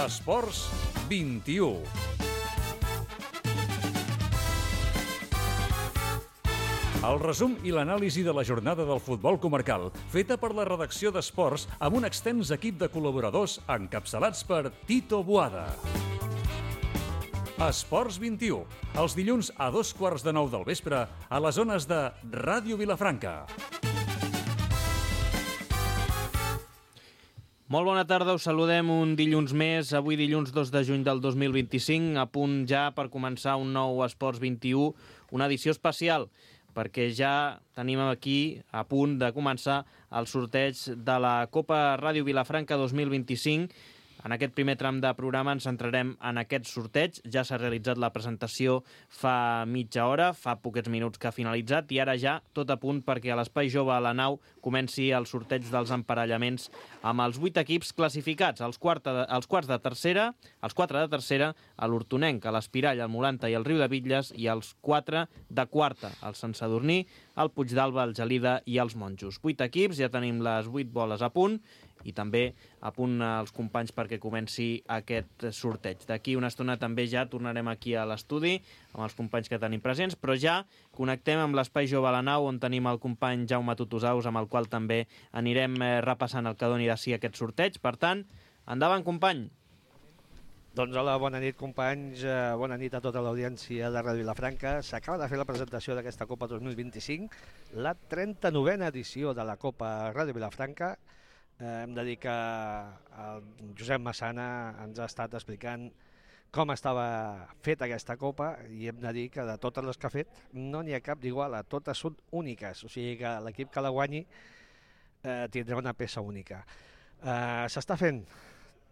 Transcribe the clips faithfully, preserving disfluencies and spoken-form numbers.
Esports vint-i-u. El resum i l'anàlisi de la jornada del futbol comarcal, feta per la redacció d'Esports amb un extens equip de col·laboradors encapçalats per Tito Boada. Esports vint-i-u, els dilluns a dos quarts de nou del vespre a les zones de Ràdio Vilafranca. Molt bona tarda, us saludem un dilluns més, avui dilluns dos de juny del dos mil vint-i-cinc, a punt ja per començar un nou Esports vint-i-u, una edició especial, perquè ja tenim aquí a punt de començar el sorteig de la Copa Ràdio Vilafranca dos mil vint-i-cinc. En aquest primer tram de programa ens centrarem en aquest sorteig. Ja s'ha realitzat la presentació fa mitja hora, fa poquets minuts que ha finalitzat, i ara ja tot a punt perquè a l'Espai Jove a la Nau comenci el sorteig dels emparellaments amb els vuit equips classificats, els, quarta de, els quarts de tercera, els quatre de tercera, a l'Hortonenc, a l'Espirall, al Molanta i al Riu de Bitlles, i els quatre de quarta, el Sant Sadurní, el Puigdàlber, el Gelida i els Monjos. Vuit equips, ja tenim les vuit boles a punt, i també a punt els companys perquè comenci aquest sorteig. D'aquí una estona també ja tornarem aquí a l'estudi amb els companys que tenim presents, però ja connectem amb l'Espai Jove a la Nau, on tenim el company Jaume Tutusaus, amb el qual també anirem repassant el que doni de si aquest sorteig. Per tant, endavant, company. Doncs hola, bona nit, companys, bona nit a tota l'audiència de Ràdio Vilafranca. S'acaba de fer la presentació d'aquesta Copa dos mil vint-i-cinc, la trenta-novena edició de la Copa Ràdio Vilafranca. Eh, hem de dir que el Josep Massana ens ha estat explicant com estava feta aquesta Copa, i hem de dir que de totes les que ha fet no n'hi ha cap d'igual, totes són úniques, o sigui que l'equip que la guanyi eh, tindrà una peça única. Eh, S'està fent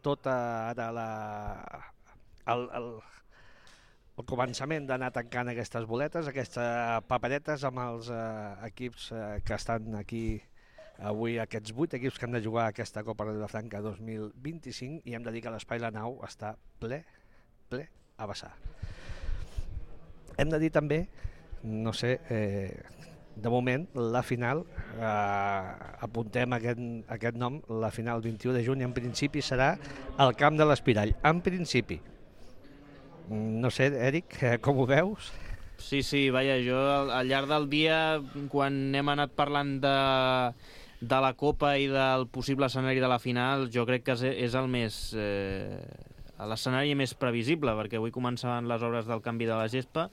tota ara la, el, el, el començament d'anar tancant aquestes boletes, aquestes paperetes amb els eh, equips eh, que estan aquí avui, aquests vuit equips que han de jugar aquesta Copa Ràdio Vilafranca dos mil vint-i-cinc, i hem de dir que l'Espai La Nau està ple, ple a vessar. Hem de dir també, no sé, eh, de moment, la final, eh, apuntem aquest, aquest nom, la final vint-i-u de juny, en principi serà al camp de l'Espirall, en principi. No sé, Eric, com ho veus? Sí, sí, vaja, jo al, al llarg del dia, quan hem anat parlant de, de la Copa i del possible escenari de la final, jo crec que és, és el més... Eh, l'escenari més previsible, perquè avui començaven les obres del canvi de la gespa.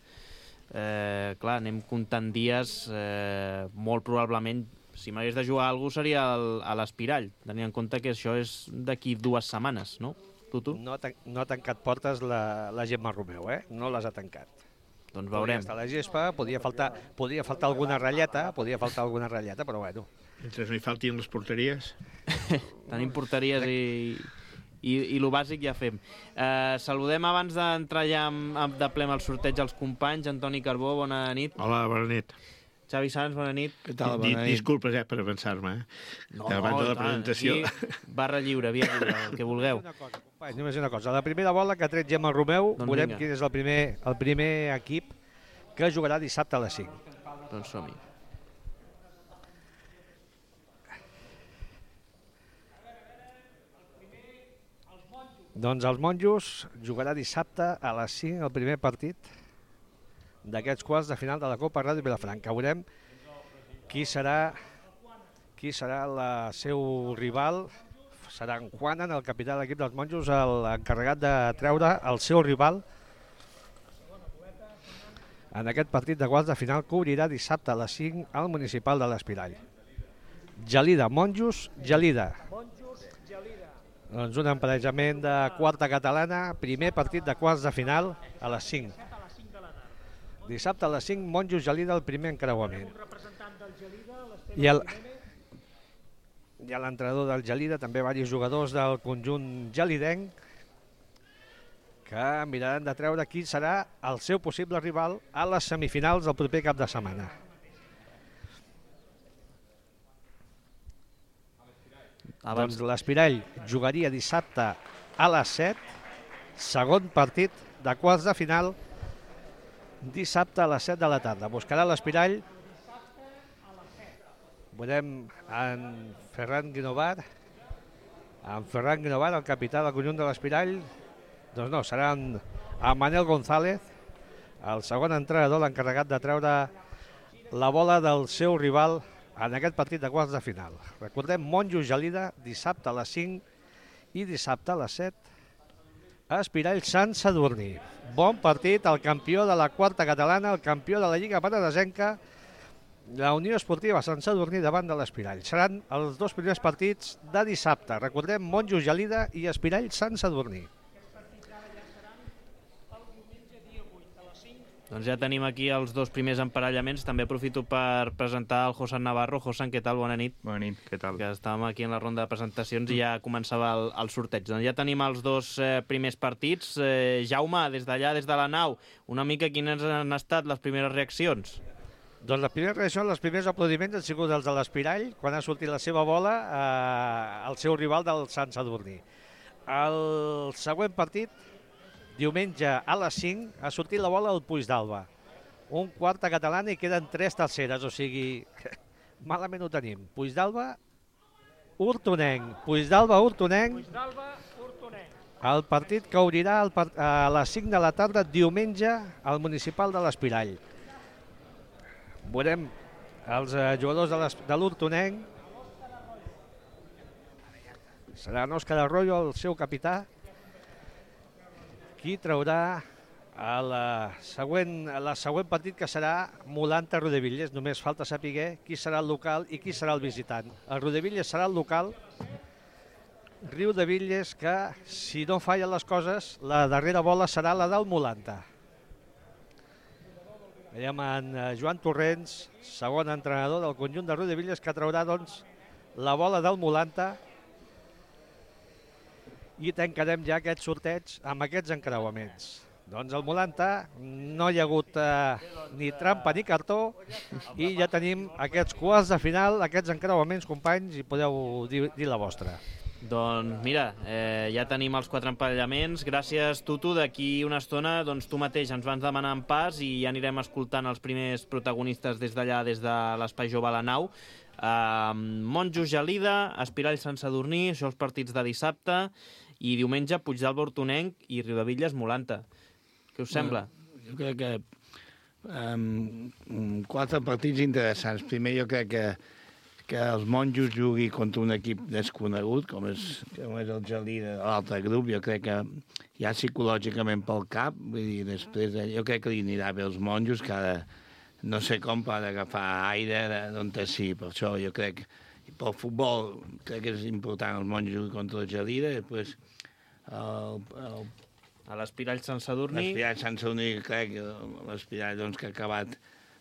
Eh, clar, anem comptant dies, eh, molt probablement, si m'hagués de jugar a algú seria el, a l'Espirall, tenint en compte que això és d'aquí dues setmanes, no? Tu, tu? No, no ha tancat portes la, la Gemma Romeu, eh? No les ha tancat. Doncs veurem. Podria estar la gespa, podria faltar, podria faltar alguna ratlleta, podria faltar alguna ratlleta, però bueno. Mentre no hi faltin les porteries. Tenim porteries i... I, i el bàsic ja fem. Eh, saludem abans d'entrar ja amb, amb de ple amb el sorteig als companys. Antoni Carbó, bona nit. Hola, bona nit. Xavi Sanz, bona nit. Què tal, bona nit? Disculpes eh, per avançar-me. Eh? No, abans de la tant, presentació. Barra lliure, via lliure, el que vulgueu. Una cosa, companys, només una cosa. La primera bola que ha tret Gemma Romeu, doncs veurem vinga. Quin és el primer, el primer equip que jugarà dissabte a les cinc. Doncs som-hi. Doncs els Monjos jugarà dissabte a les cinc el primer partit d'aquests quarts de final de la Copa Ràdio Vilafranca. Veurem qui serà qui serà el seu rival. Serà en Juanan, el capità de l'equip dels Monjos, l'encarregat de treure el seu rival en aquest partit de quarts de final que obrirà dissabte a les cinc al municipal de l'Espirall. Gelida, Monjos, Gelida. Doncs un emparejament de quarta catalana, primer partit de quarts de final a les cinc. Dissabte a les cinc, Monjos Gelida, el primer encreuament. I el i l'entrenador del Gelida, també diversos jugadors del conjunt gelidenc, que miraran de treure qui serà el seu possible rival a les semifinals del proper cap de setmana. Abans... Doncs l'Espirall jugaria dissabte a les set, segon partit de quarts de final, dissabte a les set de la tarda. Buscarà l'Espirall, veurem en Ferran Guinovar, en Ferran Guinovart, el capità del conjunt de l'Espirall. Doncs no, serà en, en Manel González, el segon entrenador, l'encarregat de treure la bola del seu rival en aquest partit de quarts de final. Recordem, Monjos Gelida, dissabte a les cinc i dissabte a les set, a Espirall Sant Sadurní. Bon partit, el campió de la quarta catalana, el campió de la Lliga Penedesenca, la Unió Esportiva Sant Sadurní davant de l'Espirall. Seran els dos primers partits de dissabte. Recordem, Monjos Gelida i Espirall Sant Sadurní. Doncs ja tenim aquí els dos primers emparellaments. També aprofito per presentar el Josan Navarro. Josan, què tal? Bona nit. Bona nit, què tal? Que estàvem aquí en la ronda de presentacions i ja començava el, el sorteig. Doncs ja tenim els dos eh, primers partits. Eh, Jaume, des d'allà, des de la nau, una mica quines han estat les primeres reaccions? Doncs les primeres reaccions, els primers aplaudiments han sigut els de l'Espirall, quan ha sortit la seva bola eh, al seu rival del Sant Sadurní. El següent partit, diumenge a les cinc, ha sortit la bola al Puigdàlber. Un quarta catalana i queden tres terceres, o sigui, malament ho tenim. Puigdàlber, Hortonenc. Puigdàlber, Hortonenc. El partit que obrirà el part... a les cinc de la tarda, diumenge, al municipal de l'Espirall. Veurem els eh, jugadors de l'Hortonenc. Serà en Òscar Arroyo, el seu capità, qui traurà el següent, el següent partit, que serà Molanta Rodevilles. Només falta saber qui serà el local i qui serà el visitant. El Rodevilles serà el local. Riudevilles, que si no fallen les coses, la darrera bola serà la del Molanta. Veiem en Joan Torrents, segon entrenador del conjunt de Riudevilles, que traurà doncs la bola del Molanta. I tancarem ja aquest sorteig amb aquests encreuaments. Doncs el Molanta no hi ha hagut eh, ni trampa ni cartó i ja tenim aquests quarts de final, aquests encreuaments, companys, i podeu dir, dir la vostra. Doncs mira, eh, ja tenim els quatre emparellaments. Gràcies, Tutu. D'aquí una estona doncs, tu mateix ens vas demanar en pas i ja anirem escoltant els primers protagonistes des d'allà, des de l'Espai Jove a la Nau. Uh, Monjos Gelida, Espirall Sant Sadurní, això els partits de dissabte, i diumenge Puigdàlber, Hortonenc i Riudevilles Molanta. Què us sembla? Bueno, jo crec que um, quatre partits interessants. Primer, jo crec que, que els Monjos jugui contra un equip desconegut, com és, com és el Gelida de l'altre grup. Jo crec que ja psicològicament pel cap, vull dir, després de, jo crec que li anirà bé els Monjos, que ara no sé com per agafar aire d'on sí. Per això jo crec que pel futbol crec que és important els Monjos contra el Gelida. Després el, el, a l'Espirall Sant Sadurní. L'Espirall Sant Sadurní, crec que l'Espirall doncs, que ha acabat,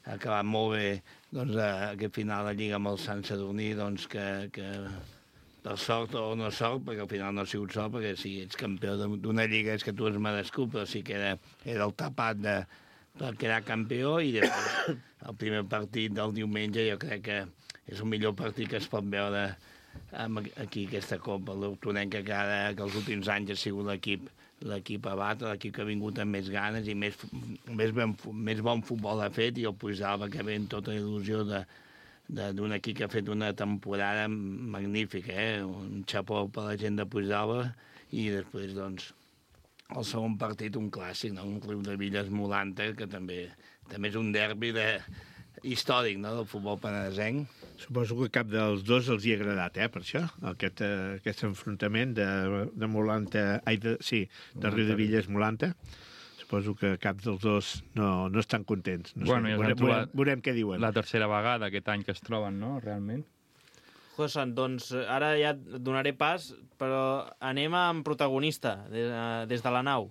ha acabat molt bé doncs, aquest final de Lliga amb el Sant Sadurní, doncs, que, que per sort o no sort, perquè al final no ha sigut sort, perquè si ets campió d'una Lliga és que tu has merescut, però sí que era, era el tapat de, per quedar campió. I després el primer partit del diumenge jo crec que és el millor partit que es pot veure aquí aquesta Copa. L'Hortonenc, que, que els últims anys ha sigut l'equip l'equip a batre, l'equip que ha vingut amb més ganes i més, més, ben, més bon futbol ha fet, i el Puigdàlber, que ve amb tota la il·lusió de, d'un equip que ha fet una temporada magnífica, eh? Un xapó per la gent de Puigdàlber. I després, doncs, el segon partit, un clàssic, no? Un Riudevilles Molanta, que també, també és un derbi de, històric, no?, del futbol penedesenc. Suposo que cap dels dos els hi ha agradat, eh, per això, aquest, eh, aquest enfrontament de, de Molanta, ai, de, sí, de Riudevilles Molanta. Suposo que cap dels dos no, no estan contents. No bueno, sé, ja veurem, veurem, veurem què diuen. La tercera vegada aquest any que es troben, no?, realment. Josan, doncs ara ja et donaré pas, però anem amb protagonista, des, des de la nau.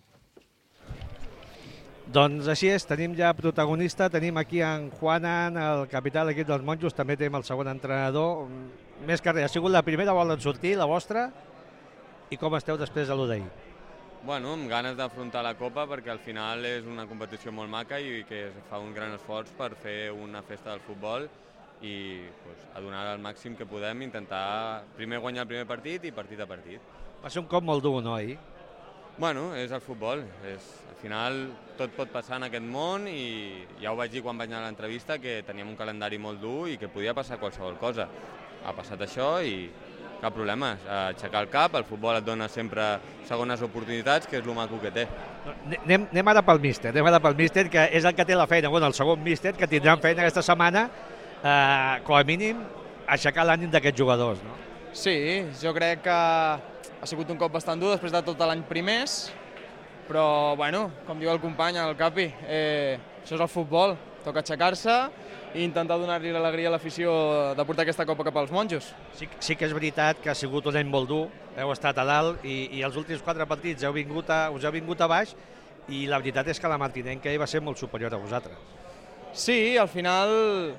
Doncs així és, tenim ja protagonista, tenim aquí en Juanan, el capità de l'equip dels Monjos, també tenim el segon entrenador. Més que res, ha sigut la primera bola en sortir, la vostra, i com esteu després de l'u d'ahir? Bueno, amb ganes d'afrontar la Copa, perquè al final és una competició molt maca i que es fa un gran esforç per fer una festa del futbol i pues, a donar el màxim que podem, intentar primer guanyar el primer partit i partit a partit. Va ser un cop molt dur, no, ahir? Bueno, és el futbol. És, al final tot pot passar en aquest món i ja ho vaig dir quan vaig anar a l'entrevista, que teníem un calendari molt dur i que podia passar qualsevol cosa. Ha passat això i cap problema. Aixecar el cap, el futbol et dona sempre segones oportunitats, que és el maco que té. Anem, anem ara pel míster, anem ara pel míster, que és el que té la feina, bueno, el segon míster, que tindran feina aquesta setmana, eh, com a mínim, aixecar l'ànim d'aquests jugadors, no? Sí, jo crec que ha sigut un cop bastant dur després de tot l'any primers, però, bueno, com diu el company, el Capi, eh, això és el futbol, toca aixecar-se i intentar donar-li l'alegria a l'afició de portar aquesta copa cap als monjos. Sí, sí que és veritat que ha sigut un any molt dur, heu estat a dalt i, i els últims quatre partits heu vingut a, us heu vingut a baix i la veritat és que la Martinenca va ser molt superior a vosaltres. Sí, al final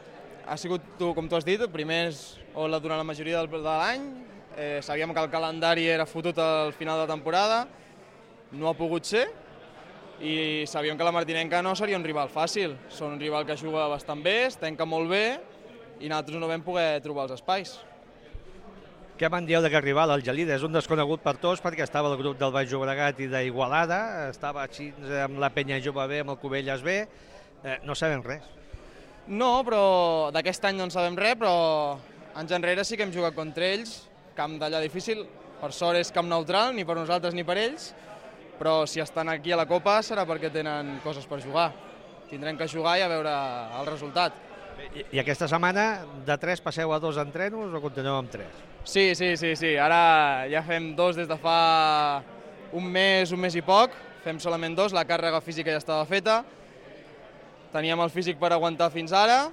ha sigut, tu, com tu has dit, primers o la, durant la majoria del, de l'any, eh, sabíem que el calendari era fotut al final de temporada, no ha pogut ser, i sabíem que la Martinenca no seria un rival fàcil. Són un rival que juga bastant bé, es tanca molt bé, i nosaltres no vam poder trobar els espais. Què me'n dieu d'aquest rival, el Gelida? És un desconegut per tots perquè estava al grup del Baix Llobregat i d'Igualada, estava així amb la Penya Jove B, amb el Cubelles B, eh, no sabem res. No, però d'aquest any no en sabem res, però anys enrere sí que hem jugat contra ells, camp d'allà difícil, per sort és camp neutral, ni per nosaltres ni per ells, però si estan aquí a la Copa serà perquè tenen coses per jugar. Tindrem que jugar i a veure el resultat. I, i aquesta setmana de tres passeu a dos entrenos o continueu amb tres? Sí, sí, sí, sí. Ara ja fem dos des de fa un mes, un mes i poc. Fem solament dos, la càrrega física ja estava feta. Teníem el físic per aguantar fins ara,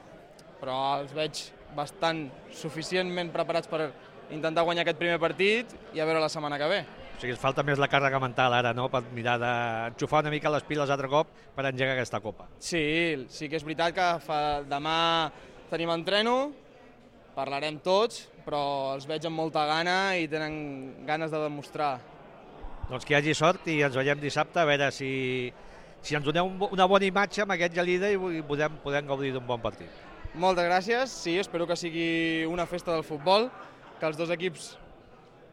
però els veig bastant suficientment preparats per intentar guanyar aquest primer partit i a veure la setmana que ve. O sigui, falta més la càrrega mental ara, no?, per mirar d'enxufar una mica les piles altre cop per engegar aquesta Copa. Sí, sí que és veritat que fa, demà tenim entreno, parlarem tots, però els veig amb molta gana i tenen ganes de demostrar. Doncs que hi hagi sort i ens veiem dissabte a veure si, si ens doneu una bona imatge amb aquest Gelida i podem, podem gaudir d'un bon partit. Moltes gràcies, sí, espero que sigui una festa del futbol, que els dos equips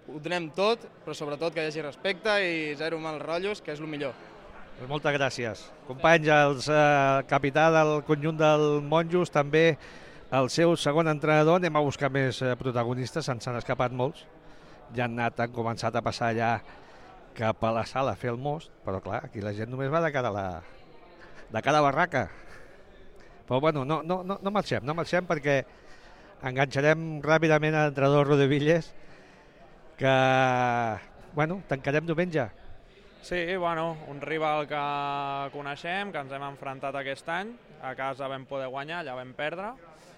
ho donem tot, però sobretot que hi hagi respecte i zero mals rotllos, que és el millor. Pues moltes gràcies. Companys, el eh, capità del conjunt del Monjos, també el seu segon entrenador, anem a buscar més eh, protagonistes, se'n han escapat molts. Ja han anat, han començat a passar ja cap a la sala a fer el most, però clar, aquí la gent només va de cada, la, de cada barraca. Però bueno, no, no, no, no marxem, no marxem perquè enganxarem ràpidament a l'entrenador Rodevilles, que, bueno, tancarem diumenge. Sí, bueno, un rival que coneixem, que ens hem enfrontat aquest any, a casa vam poder guanyar, allà vam perdre,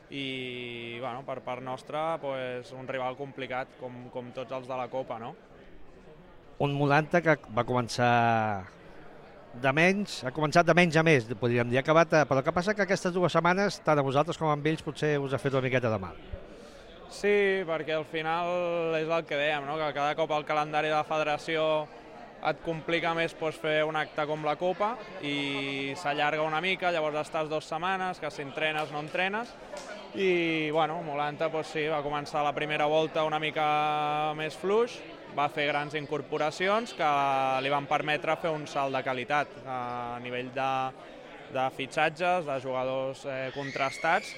i, bueno, per part nostra, pues, un rival complicat, com, com tots els de la Copa, no? Un Molanta que va començar de menys, ha començat de menys a més, podríem dir, acabat, però el que passa que aquestes dues setmanes, tant a vosaltres com a ells, potser us ha fet una miqueta de mal. Sí, perquè al final és el que dèiem, no? Que cada cop el calendari de la federació et complica més pues, fer un acte com la Copa i s'allarga una mica, llavors estàs dues setmanes, que si entrenes no entrenes, i bueno, Molanta pues, sí, va començar la primera volta una mica més fluix, va fer grans incorporacions que li van permetre fer un salt de qualitat a nivell de, de fitxatges, de jugadors eh, contrastats,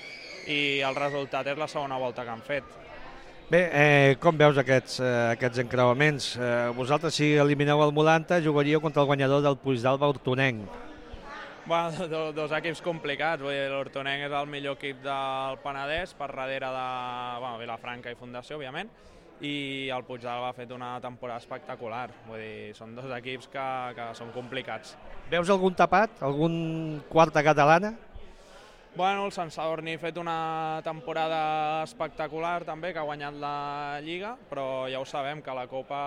i el resultat és la segona volta que han fet. Bé, eh, com veus aquests, eh, aquests encreuaments? Eh, vosaltres, si elimineu el Molanta, jugaríeu contra el guanyador del Puigdàlber Hortonenc. Bueno, dos, dos equips complicats. L'Hortonenc és el millor equip del Penedès, per darrere de bueno, Vilafranca i Fundació, òbviament, i el Puigdàlber ha fet una temporada espectacular. Vull dir, són dos equips que, que són complicats. Veus algun tapat? Algun quarta catalana? Bueno, el Sant Sadurní ha fet una temporada espectacular també, que ha guanyat la Lliga, però ja ho sabem, que a la Copa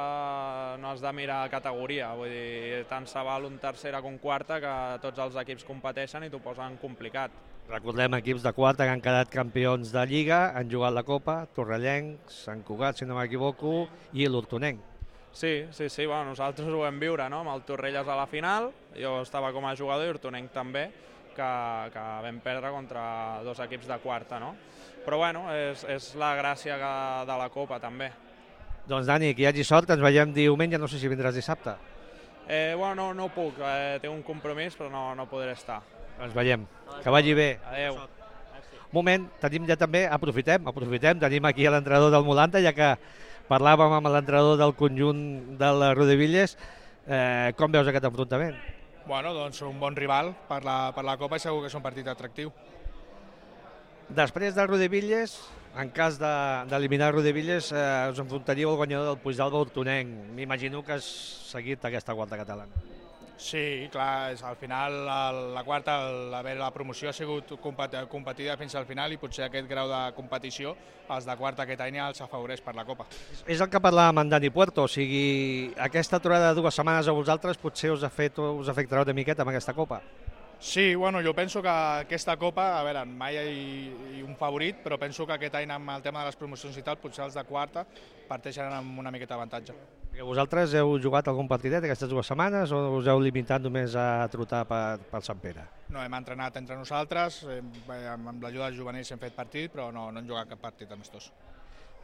no has de mirar categoria. Vull dir, tant se val un tercera com quarta, que tots els equips competeixen i t'ho posen complicat. Recordem equips de quarta que han quedat campions de Lliga, han jugat la Copa, Torrellenc, Sant Cugat, si no m'equivoco, i l'Hortonenc. Sí, sí, sí, bueno, nosaltres ho vam viure, no? Amb el Torrelles a la final, jo estava com a jugador i Hortonenc també, que, que vam perdre contra dos equips de quarta, no? Però bueno, és, és la gràcia que, de la Copa també. Doncs Dani, que hi hagi sort, ens veiem diumenge, no sé si vindràs dissabte. Eh, bueno, no, no puc, eh, tinc un compromís però no, no podré estar. Ens veiem, que vagi bé. Adéu. Un moment, tenim ja també, aprofitem, aprofitem, tenim aquí l'entrenador del Molanta, ja que parlàvem amb l'entrenador del conjunt de la Rodevilles. Eh, com veus aquest enfrontament? Bueno, doncs un bon rival per la, per la Copa i segur que és un partit atractiu. Després del Rodevilles, en cas d'eliminar de, Rodevilles, eh, us enfrontaríeu al guanyador del Puigdàlber Hortonenc. M'imagino que has seguit aquesta quarta catalana. Sí, clar, és, al final el, la quarta, el, haver la promoció ha sigut competida fins al final i potser aquest grau de competició, els de quarta aquest any els afavoreix per la Copa. És el que parlàvem amb Dani Puerto, o sigui, aquesta aturada de dues setmanes a vosaltres potser us, ha fet, us afectarà una miqueta amb aquesta Copa. Sí, bueno, jo penso que aquesta Copa, a veure, mai hi ha un favorit, però penso que aquest any amb el tema de les promocions i tal, potser els de quarta parteixen amb una miqueta d'avantatge. Vosaltres heu jugat algun partidet aquestes dues setmanes o us heu limitat només a trotar per, per Sant Pere? No, hem entrenat entre nosaltres, hem, amb l'ajuda dels juvenils hem fet partit, però no, no hem jugat cap partit amistós.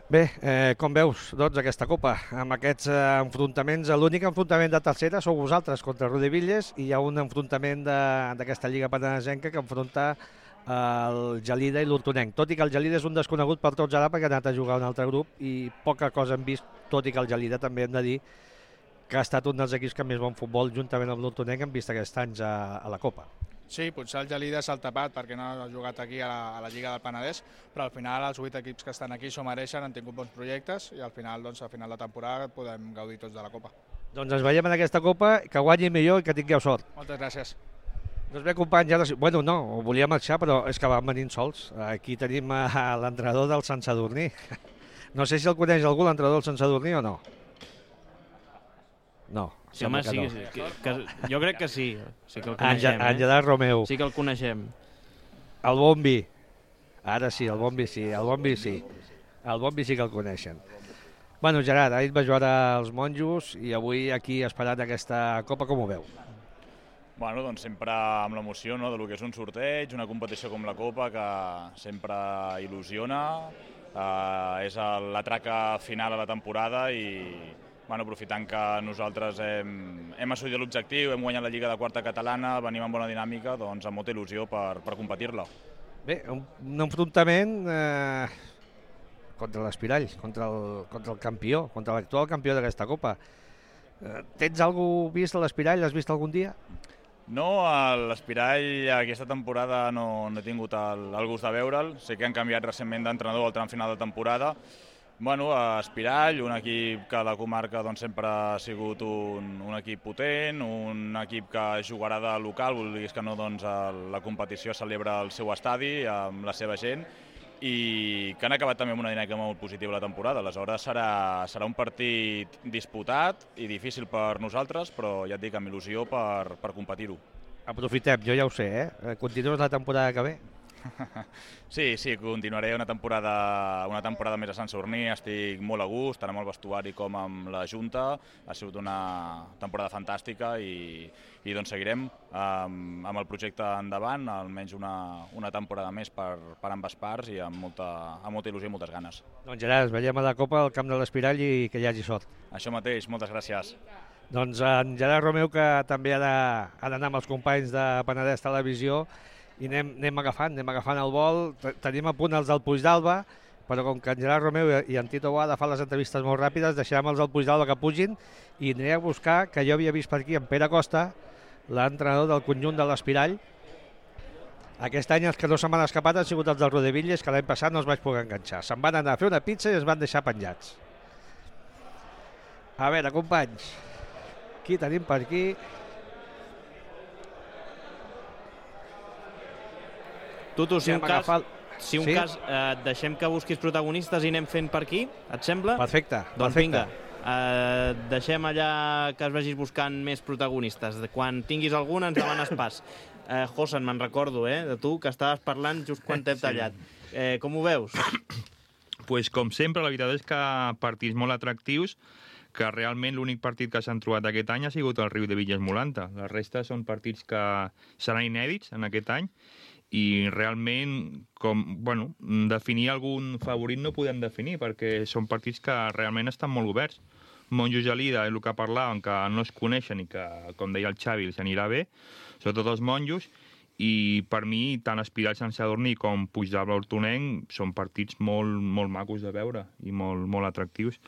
Bé, eh, com veus, doncs, aquesta Copa, amb aquests eh, enfrontaments, l'únic enfrontament de tercera sou vosaltres contra Rodevilles i hi ha un enfrontament d'aquesta Lliga Penedesenca que enfronta el Gelida i l'Hortonenc, tot i que el Gelida és un desconegut per tots ara perquè ha anat a jugar a un altre grup i poca cosa hem vist, tot i que el Gelida també hem de dir que ha estat un dels equips que més bon futbol juntament amb l'Hortonenc hem vist aquests anys a, a la Copa. Sí, potser el Gelida s'ha tapat perquè no ha jugat aquí a la, a la Lliga del Penedès, però al final els vuit equips que estan aquí s'ho mereixen, han tingut bons projectes i al final, doncs, a final de temporada podem gaudir tots de la Copa. Doncs ens veiem en aquesta Copa, que guanyi millor i que tingueu sort. Moltes gràcies. Doncs bé, companys, ara sí. Bueno, no, volia marxar, però és que van venint sols. Aquí tenim l'entrenador del Sant Sadurní. No sé si el coneix algú, l'entrenador del Sant Sadurní, o no? No. Sí, home, sí, no. sí que, que, jo crec que sí. Sí que el coneixem, eh? Àngel Romeu. Sí que el coneixem. El Bombi. Ara sí, el Bombi sí, el Bombi sí. El Bombi sí que el coneixen. Bueno, Gerard, ahir va jugar als monjos i avui aquí esperant aquesta Copa, com ho veu? Bueno, doncs sempre amb l'emoció, no?, del que és un sorteig, una competició com la Copa que sempre il·lusiona, eh, és la traca final a la temporada i bueno, aprofitant que nosaltres hem, hem assolit l'objectiu, hem guanyat la Lliga de Quarta Catalana, venim amb bona dinàmica, doncs amb molta il·lusió per, per competir-la. Bé, un, un enfrontament eh, contra l'Espirall, contra, el, contra el campió, contra l'actual campió d'aquesta Copa. Eh, tens algú vist a l'Espirall? L'has vist algun dia? No, l'Espirall aquesta temporada no, no he tingut el, el gust de veure'l. Sé que han canviat recentment d'entrenador al tram final de temporada. Bueno, Espirall, un equip que a la comarca doncs, sempre ha sigut un, un equip potent, un equip que jugarà de local, vol dir que no, doncs, la competició celebra al seu estadi amb la seva gent i que han acabat també amb una dinàmica molt positiva la temporada. Aleshores serà, serà un partit disputat i difícil per nosaltres, però ja et dic, amb il·lusió per, per competir-ho. Aprofitem, jo ja ho sé, eh? Continues la temporada que ve? Sí, sí, continuaré una temporada, una temporada més a Sant Sadurní, estic molt a gust, tant amb el vestuari com amb la Junta, ha sigut una temporada fantàstica i, i doncs seguirem amb, amb el projecte endavant, almenys una, una temporada més per, per ambes parts i amb molta, amb molta il·lusió i moltes ganes. Doncs Gerard, ens veiem a la Copa al camp de l'Espirall i que hi hagi sort. Això mateix, moltes gràcies. Doncs en Gerard Romeu, que també ha d'anar amb els companys de Penedès Televisió, i anem, anem agafant, anem agafant el vol. Tenim a punt els del Puigdàlber, però com que en Gerard Romeu i en Tito Boada fan les entrevistes molt ràpides, deixarem els del Puigdàlber que pugin i aniré a buscar, que jo havia vist per aquí en Pere Costa, l'entrenador del conjunt de l'Espirall. Aquest any els que no se m'han escapat han sigut els del Rodevilles, que l'any passat no els vaig poder enganxar. Se'n van anar a fer una pizza i es van deixar penjats. A veure, companys, qui tenim per aquí? Tutu, si un cas, agafar... si un sí? cas eh, deixem que busquis protagonistes i anem fent per aquí, et sembla? Perfecte, doncs perfecte. Vinga, eh, deixem allà que es vagis buscant més protagonistes. Quan tinguis algun ens demanes pas. Eh, Josan, me'n recordo, eh, de tu, que estaves parlant just quan t'hem tallat. Eh, com ho veus? Pues, com sempre, la veritat és que partits molt atractius, que realment l'únic partit que s'han trobat aquest any ha sigut el Riu de Villas-Molanta. La resta són partits que seran inèdits en aquest any i realment, com, bueno, definir algun favorit no podem definir perquè són partits que realment estan molt oberts. Monjo Gelida és el que parlàvem, que no es coneixen i que, com deia el Xavi, els anirà bé, sobretot els monjos, i per mi tant Espirall Sant Sadurní com Puigdàlber Hortonenc són partits molt, molt macos de veure i molt, molt atractius.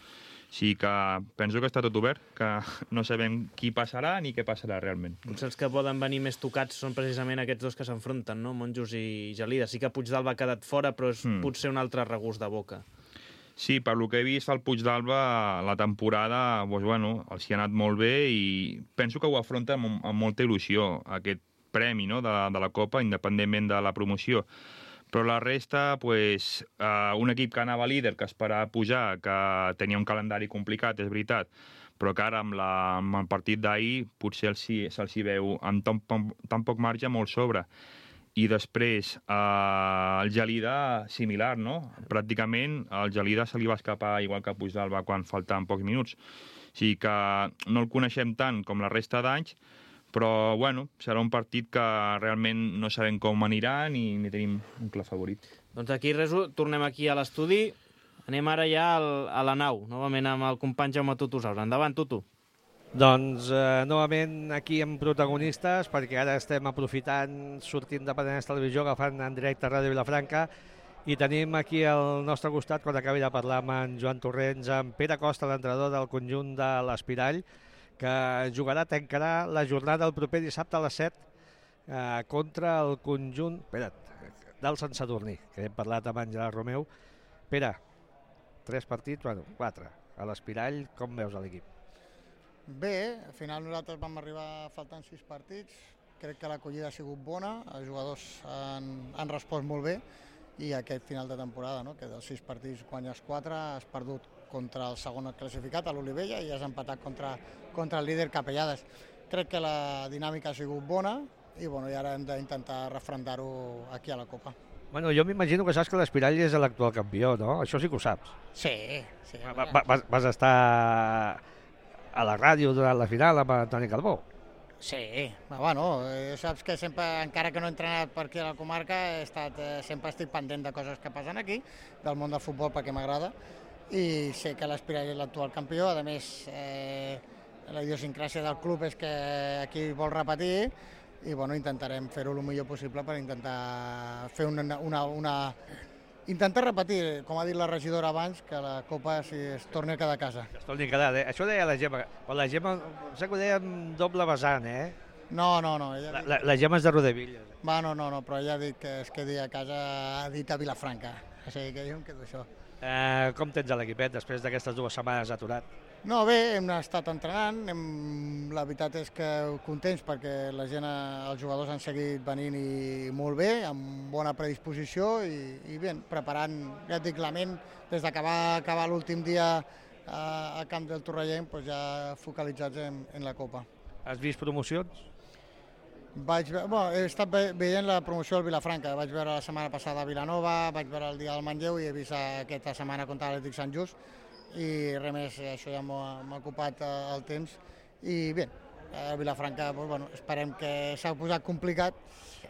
sigui que penso que està tot obert, que no sabem qui passarà ni què passarà realment. Potser els que poden venir més tocats són precisament aquests dos que s'enfronten, no? Monjos i Gelida. Sí que Puigdàlber ha quedat fora, però és mm. potser un altre regust de boca. Sí, per lo que he vist, el Puigdàlber, la temporada, doncs, bueno, els hi ha anat molt bé i penso que ho afronta amb, amb molta il·lusió, aquest premi, no?, de, de la Copa, independentment de la promoció. Però la resta, pues, uh, un equip que anava líder, que esperava pujar, que tenia un calendari complicat, és veritat, però que ara amb, la, amb el partit d'ahir potser se'ls hi veu amb tan, tan poc marge molt sobre. I després uh, el Gelida, similar, no? Pràcticament el Gelida se li va escapar igual que Puigdàlber quan faltaven pocs minuts. O sigui que no el coneixem tant com la resta d'anys, però, bueno, serà un partit que realment no sabem com anirà ni, ni tenim un clar favorit. Doncs aquí res, tornem aquí a l'estudi. Anem ara ja al, a la nau, novament amb el company Jaume Tutusaus. Endavant, Tutu. Doncs, eh, novament aquí amb protagonistes, perquè ara estem aprofitant, sortint de Penedès Televisió, agafant en directe a Ràdio Vilafranca, i tenim aquí al nostre costat, quan acabi de parlar amb en Joan Torrents, amb Pere Costa, l'entrenador del conjunt de l'Espirall, que jugarà, tancarà la jornada el proper dissabte a les set eh, contra el conjunt espera't, del Sant Sadurní, que hem parlat amb en Gerard Romeu. Pere, tres partits, bueno, quatre. A l'Espirall, com veus l'equip? Bé, al final nosaltres vam arribar faltant sis partits. Crec que l'acollida ha sigut bona, els jugadors han, han respost molt bé i aquest final de temporada, no? Que dels sis partits guanyes quatre, has perdut contra el segon classificat, a l'Olivella, i has empatat contra, contra el líder Capellades. Crec que la dinàmica ha sigut bona i, bueno, i ara hem d'intentar refrendar-ho aquí a la Copa. Bueno, jo m'imagino que saps que l'Espirall és l'actual campió, no? Això sí que ho saps. Sí, sí. Va, va, vas, vas estar a la ràdio durant la final amb Antoni Calbó. Sí, bueno, eh, saps que sempre, encara que no he entrenat per aquí a la comarca, he estat, eh, sempre estic pendent de coses que passen aquí, del món del futbol perquè m'agrada, i sé que l'Espirall és l'actual campió. A més, eh, la idiosincràsia del club és que aquí vol repetir i, bueno, intentarem fer-ho el millor possible per intentar fer una, una, una... intentar repetir, com ha dit la regidora abans, que la Copa si es torni a quedar a casa. Es torni a quedar, eh? Això deia la Gemma, però la Gemma, sé que ho deia amb doble vessant, eh? No, no, no. Ella la, la, la Gemma és de Rodevilla. Va, no, no, no, però ella ha dit que es quedi a casa, ha dit a Vilafranca, o sigui que jo em quedo això. Eh, com tens l'equipet després d'aquestes dues setmanes aturat? No, bé, hem estat entrenant, hem... la veritat és que contents perquè la gent, els jugadors han seguit venint i molt bé, amb bona predisposició i, i bé, preparant, ja et dic, la ment, des d'acabar acabar l'últim dia a, a Camp del Torrellenc, doncs ja focalitzats en, en la Copa. Has vist promocions? Vaig, bueno, he estat ve veient la promoció del Vilafranca, vaig veure la setmana passada a Vilanova, vaig veure el dia del Manlleu i he vist aquesta setmana contra l'Atlètic Sant Just i res més, això ja m'ha ocupat el temps i bé, a Vilafranca doncs, bueno, esperem que s'ha posat complicat,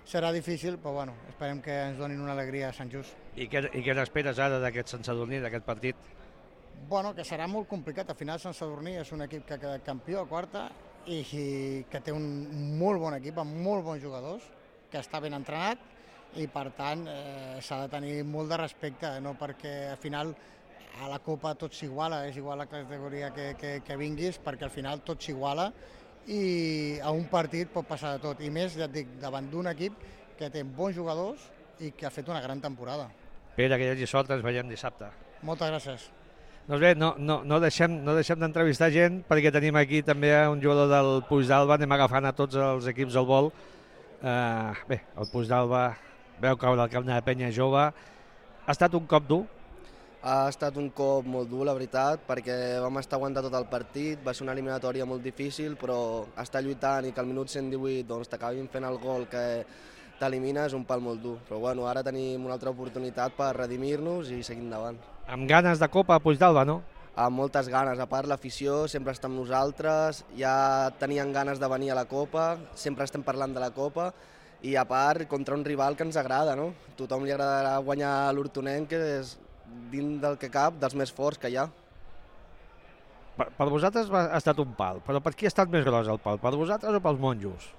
serà difícil, però bueno, esperem que ens donin una alegria a Sant Just. I què, i què n'esperes ara d'aquest Sant Sadurní, d'aquest partit? Bueno, que serà molt complicat, al final Sant Sadurní és un equip que ha quedat campió a quarta i que té un molt bon equip, amb molt bons jugadors, que està ben entrenat i per tant eh, s'ha de tenir molt de respecte, no? Perquè al final a la Copa tot s'iguala, és igual la categoria que, que, que vinguis, perquè al final tot s'iguala i a un partit pot passar de tot, i més, ja et dic, davant d'un equip que té bons jugadors i que ha fet una gran temporada. Pere, que hi hagi sort, ens veiem dissabte. Moltes gràcies. Doncs bé, no, no, no deixem, no deixem d'entrevistar gent perquè tenim aquí també un jugador del Puigdàlber, anem agafant a tots els equips al vol. Uh, bé, el Puigdàlber veu caure al camp de la penya jove. Ha estat un cop dur? Ha estat un cop molt dur, la veritat, perquè vam estar aguantant tot el partit, va ser una eliminatòria molt difícil, però estar lluitant i que al minut cent divuit doncs, t'acabin fent el gol que t'elimina és un pal molt dur. Però bueno, ara tenim una altra oportunitat per redimir-nos i seguir endavant. Amb ganes de Copa a Puigdàlber, no? Amb moltes ganes, a part l'afició sempre està amb nosaltres, ja tenien ganes de venir a la Copa, sempre estem parlant de la Copa, i a part contra un rival que ens agrada, no? Tothom li agradarà guanyar l'Hortonenc, que és dins del que cap, dels més forts que hi ha. Per, per vosaltres ha estat un pal, però per qui ha estat més gros el pal? Per vosaltres o pels monjos?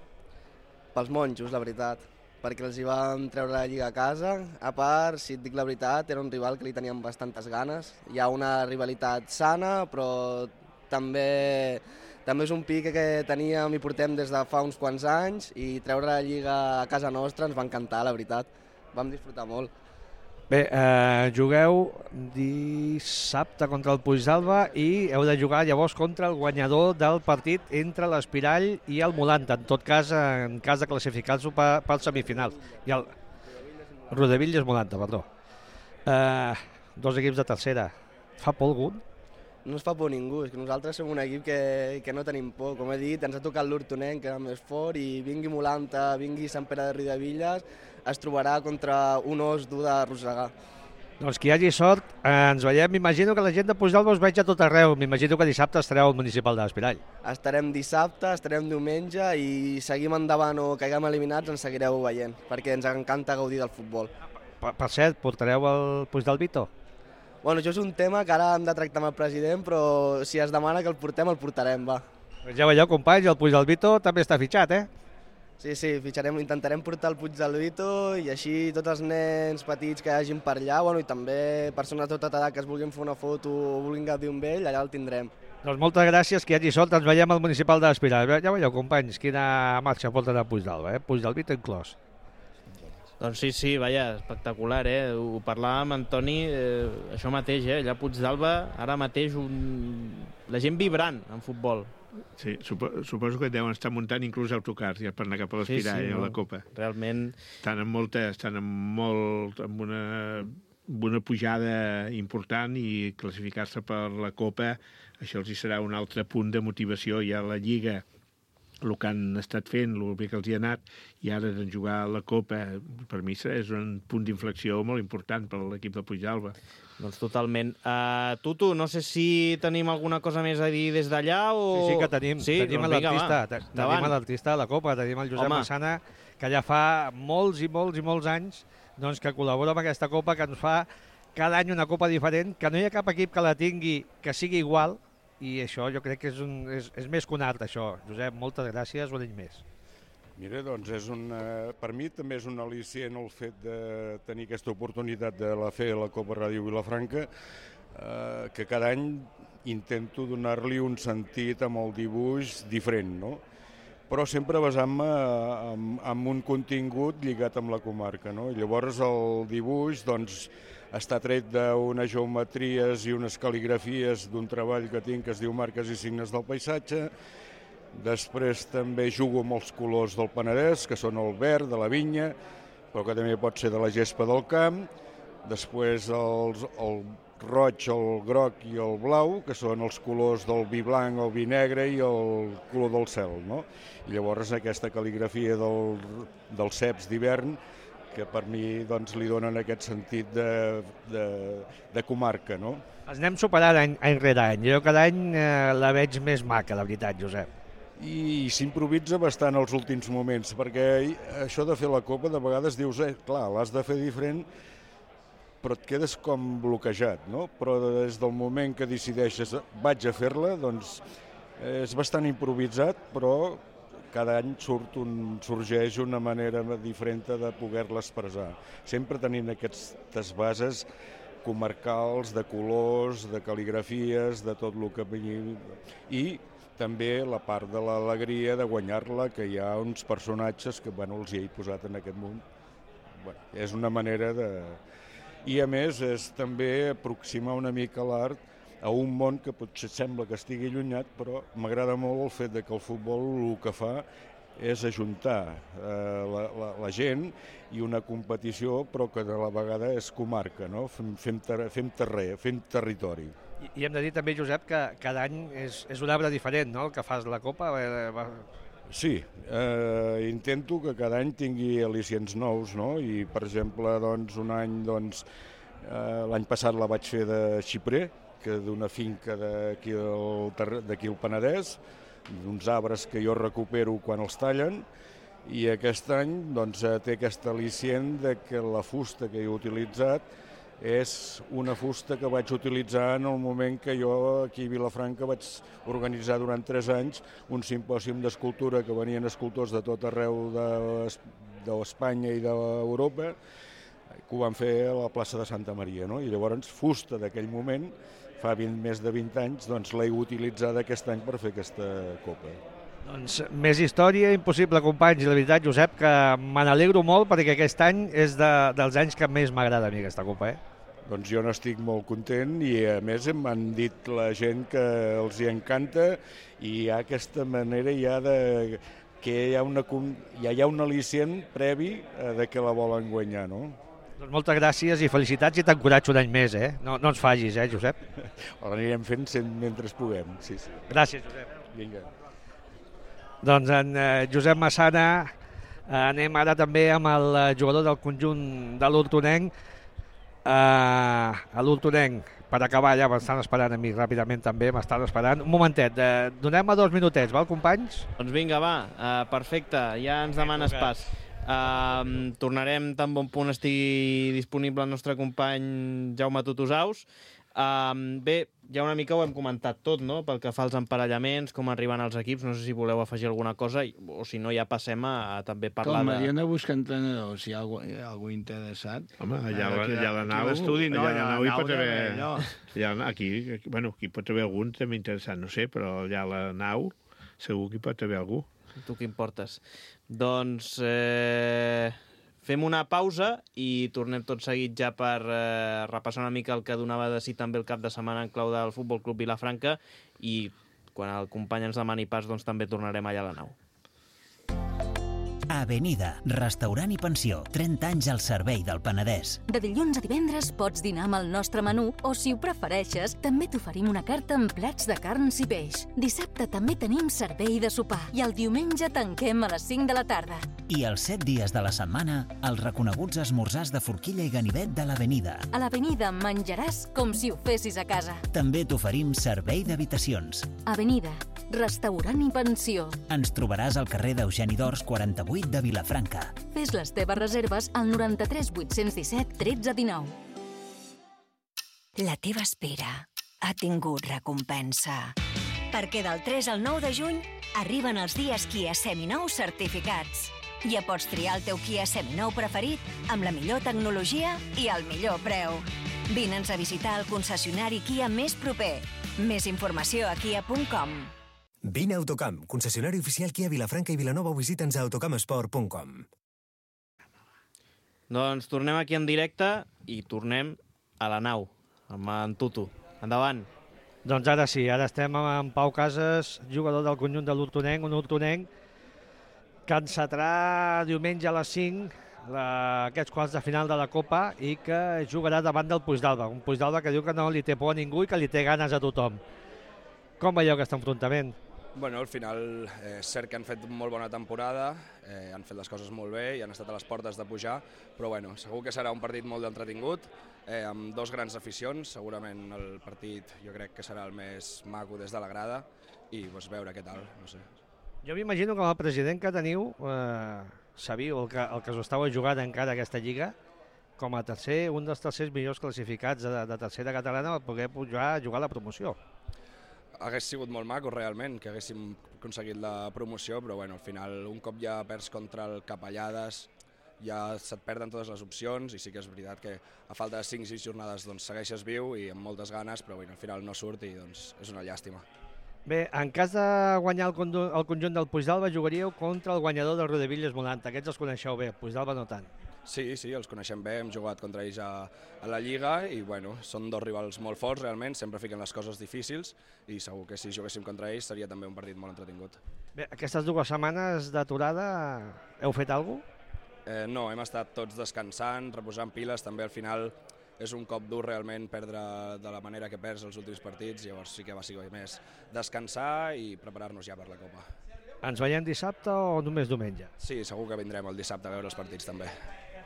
Pels monjos, la veritat. perquè els hi vam treure la Lliga a casa. A part, si et dic la veritat, era un rival que li teníem bastantes ganes. Hi ha una rivalitat sana, però també, també és un pic que teníem i portem des de fa uns quants anys, i treure la Lliga a casa nostra ens va encantar, la veritat. Vam disfrutar molt. Bé, eh, jugueu dissabte contra el Puigdàlber i heu de jugar llavors contra el guanyador del partit entre l'Espirall i el Molanta, en tot cas, en cas de classificar-se pel semifinal. I el Rodevilles Molanta, perdó. Eh, dos equips de tercera. Fa por algun? No ens fa por ningú, és que nosaltres som un equip que, que no tenim por. Com he dit, ens ha tocat l'Hortonenc, que era més fort, i vingui Molanta, vingui Sant Pere de Riudevilles, es trobarà contra un os dur d'arrossegar. Doncs que hi hagi sort, eh, ens veiem. M'imagino que la gent de Puigdàlber us veig a tot arreu. M'imagino que dissabte estareu al municipal de l'Espirall. Estarem dissabte, estarem diumenge, i seguim endavant o caiguem eliminats, ens seguireu veient, perquè ens encanta gaudir del futbol. Per, per cert, portareu el Puigdàlbito? Bueno, això és un tema que ara hem de tractar amb el president, però si es demana que el portem, el portarem, va. Ja veieu, companys, el Puigdàlbito també està fitxat, eh? Sí, sí, fitxarem, intentarem portar el Puigdàlbito, i així tots els nens petits que hi hagin per allà, bueno, i també persones de tota edat que es vulguin fer una foto o vulguin gaudir amb ell, allà el tindrem. Doncs moltes gràcies, que hi hagi sort, ens veiem al municipal de l'Espirall. Ja veieu, companys, quina marxa porta de Puigdàlber, eh? Puigdàlbito inclòs. Doncs sí, sí, vaja, espectacular, eh? Ho parlàvem amb Antoni, eh, això mateix, eh? Allà a Puigdàlber, ara mateix un... la gent vibrant en futbol. Sí, supo, suposo que deuen estar muntant inclús autocars ja per anar cap a l'Espirall, sí, sí, a la no, Copa. Realment... Estan amb molta, estan amb molt, amb una, amb una pujada important, i classificar-se per la Copa, això els hi serà un altre punt de motivació. Ja la Lliga, el que han estat fent, el bé que els hi ha anat, i ara de jugar a la Copa, per mi és un punt d'inflexió molt important per l'equip de Puigdàlber. Doncs totalment. Uh, Tutu, no sé si tenim alguna cosa més a dir des d'allà o... Sí, sí que tenim. Sí? Tenim doncs l'artista tenim l'artista de la Copa, tenim el Josep Home. Massana, que ja fa molts i molts i molts anys doncs, que col·labora amb aquesta Copa, que ens fa cada any una Copa diferent, que no hi ha cap equip que la tingui que sigui igual, i això jo crec que és, un, és, és més que un art, això. Josep, moltes gràcies, un any més. Mira, doncs és una, per mi també és un al·licient el fet de tenir aquesta oportunitat de la fer la Copa Ràdio Vilafranca, eh, que cada any intento donar-li un sentit amb el dibuix diferent, no? Però sempre basant-me en, en un contingut lligat amb la comarca, no? I llavors el dibuix doncs, està tret d'unes geometries i unes cal·ligrafies d'un treball que tinc que es diu Marques i signes del paisatge. Després també jugo amb els colors del Penedès, que són el verd, de la vinya, però que també pot ser de la gespa del camp. Després els, el roig, el groc i el blau, que són els colors del vi blanc, el vi negre i el color del cel, no? I llavors aquesta cal·ligrafia del, dels ceps d'hivern, que per mi doncs, li donen aquest sentit de, de, de comarca, no? Els anem superant any, any rere any. Jo cada any eh, la veig més maca, la veritat, Josep. I s'improvisa bastant els últims moments, perquè això de fer la Copa de vegades dius, eh, clar, l'has de fer diferent, però et quedes com bloquejat, no? Però des del moment que decideixes vaig a fer-la, doncs és bastant improvisat, però cada any surt un, sorgeix una manera diferent de poder-la expressar, sempre tenint aquestes bases comarcals, de colors, de cal·ligrafies, de tot el que vingui, i també la part de l'alegria de guanyar-la, que hi ha uns personatges que bueno, els hi he posat en aquest món. Bueno, és una manera de... I a més és també aproximar una mica l'art a un món que potser sembla que estigui allunyat, però m'agrada molt el fet de que el futbol el que fa és ajuntar eh, la, la, la gent i una competició, però que de la vegada és comarca, no? Fem, fem, ter fem terrer, fem territori. I, I hem de dir també, Josep, que cada any és, és un arbre diferent, no?, el que fas la Copa. Sí, eh, intento que cada any tingui al·licients nous, no? I, per exemple, doncs, un any, doncs, eh, l'any passat la vaig fer de xiprer, que d'una finca d'aquí al Penedès, d'uns arbres que jo recupero quan els tallen, i aquest any doncs, té aquest al·licient de que la fusta que he utilitzat és una fusta que vaig utilitzar en el moment que jo aquí a Vilafranca vaig organitzar durant tres anys un simpòsium d'escultura que venien escultors de tot arreu de, d'Espanya i d'Europa, que ho van fer a la plaça de Santa Maria, no? I llavors Fusta d'aquell moment, fa vint, més de vint anys, doncs l'he utilitzat aquest any per fer aquesta copa. Doncs més història impossible, companys, i la veritat, Josep, que me n'alegro molt perquè aquest any és de, dels anys que més m'agrada a mi aquesta copa, eh? Doncs jo n'estic molt content i a més m'han dit la gent que els hi encanta i hi ha aquesta manera ja de que hi ha, una, ja hi ha un al·licient previ de que la volen guanyar, no? Doncs moltes gràcies i felicitats i t'encoratjo un any més, eh? No, no ens fagis, eh, Josep? Ho anirem fent mentre puguem, sí, sí. Gràcies, Josep. Vinga. Doncs en eh, Josep Massana, eh, anem ara també amb el jugador del conjunt de l'Hortonenc, eh, a l'Hortonenc, per acabar ja, m'estan esperant a mi ràpidament també, m'estan esperant. Un momentet, eh, donem-me dos minutets, val, companys? Doncs vinga, va, uh, perfecte, ja ens demanes pas. Uh, tornarem tan bon punt estigui disponible el nostre company Jaume Tutusaus. Uh, bé, ja una mica ho hem comentat tot, no?, pel que fa als emparellaments, com arriben els equips, no sé si voleu afegir alguna cosa, o si no ja passem a, a també parlar com, de... Com, jo no busco entrenadors, si hi ha algú, hi ha algú interessat. Home, allà, allà, allà a la nau, l'estudi, no, allà a la nau hi pot haver... No. Allà, aquí, bueno, aquí pot haver algun també interessant, no sé, però allà a la nau segur que hi pot haver algú. Tu què importes? Doncs eh, fem una pausa i tornem tot seguit ja per eh, repassar una mica el que donava de si també el cap de setmana en clau del Futbol Club Vilafranca i quan el company ens demani pas doncs també tornarem allà a la nau. Avenida, restaurant i pensió, trenta anys al servei del Penedès. De dilluns a divendres pots dinar amb el nostre menú o, si ho prefereixes, també t'oferim una carta amb plats de carns i peix. Dissabte també tenim servei de sopar i el diumenge tanquem a les cinc de la tarda. I els set dies de la setmana, els reconeguts esmorzars de forquilla i ganivet de l'Avenida. A l'Avenida menjaràs com si ho fessis a casa. També t'oferim servei d'habitacions. Avenida, restaurant i pensió. Ens trobaràs al carrer d'Eugeni d'Ors quaranta-vuit de Vilafranca. Fes les teves reserves al noranta-tres vuit-cents disset tretze dinou. La teva espera ha tingut recompensa. Perquè del tres al nou de juny arriben els dies Kia Seminous certificats. Ja pots triar el teu Kia Seminou preferit amb la millor tecnologia i el millor preu. Vine'ns a visitar el concessionari Kia més proper. Més informació a kia punt com. Vine a Autocamp, concessionari oficial Kia Vilafranca i Vilanova, o visita'ns a autocampsport punt com. Doncs tornem aquí en directe i tornem a la nau, amb en Tutu. Endavant. Doncs ara sí, ara estem amb en Pau Casas, jugador del conjunt de l'Hortonenc, un Hortonenc que encetarà diumenge a les cinc la, aquests quarts de final de la Copa i que jugarà davant del Puigdàlber, un Puigdàlber que diu que no li té por a ningú i que li té ganes a tothom. Com veieu aquest enfrontament? Bueno, al final eh, és cert que han fet molt bona temporada, eh, han fet les coses molt bé i han estat a les portes de pujar, però bueno, segur que serà un partit molt entretingut, eh, amb dos grans aficions, segurament el partit jo crec que serà el més maco des de la grada i pues, veure què tal, no sé. Jo m'imagino que el president que teniu, eh, sabíeu el que, el que us estava jugant encara aquesta lliga, com a tercer, un dels tercers millors classificats de, de tercera catalana per poder pujar a jugar a la promoció. Hagués sigut molt maco realment que haguéssim aconseguit la promoció, però bueno, al final un cop ja perds contra el Capellades ja se't perden totes les opcions i sí que és veritat que a falta de cinc o sis jornades doncs, segueixes viu i amb moltes ganes, però bueno, al final no surt i doncs, és una llàstima. Bé, en cas de guanyar el, el conjunt del Puigdàlber jugaríeu contra el guanyador del Riudebitlles Molanta. Aquests els coneixeu bé, Puigdàlber no tant. Sí, sí, els coneixem bé, hem jugat contra ells a, a la Lliga i bueno, són dos rivals molt forts realment, sempre fiquen les coses difícils i segur que si juguéssim contra ells seria també un partit molt entretingut. Bé, aquestes dues setmanes d'aturada heu fet alguna cosa? Eh, no, hem estat tots descansant, reposant piles, també al final és un cop dur realment perdre de la manera que perds els últims partits, llavors sí que va ser més descansar i preparar-nos ja per la Copa. Ens veiem dissabte o només diumenge? Sí, segur que vindrem el dissabte a veure els partits també.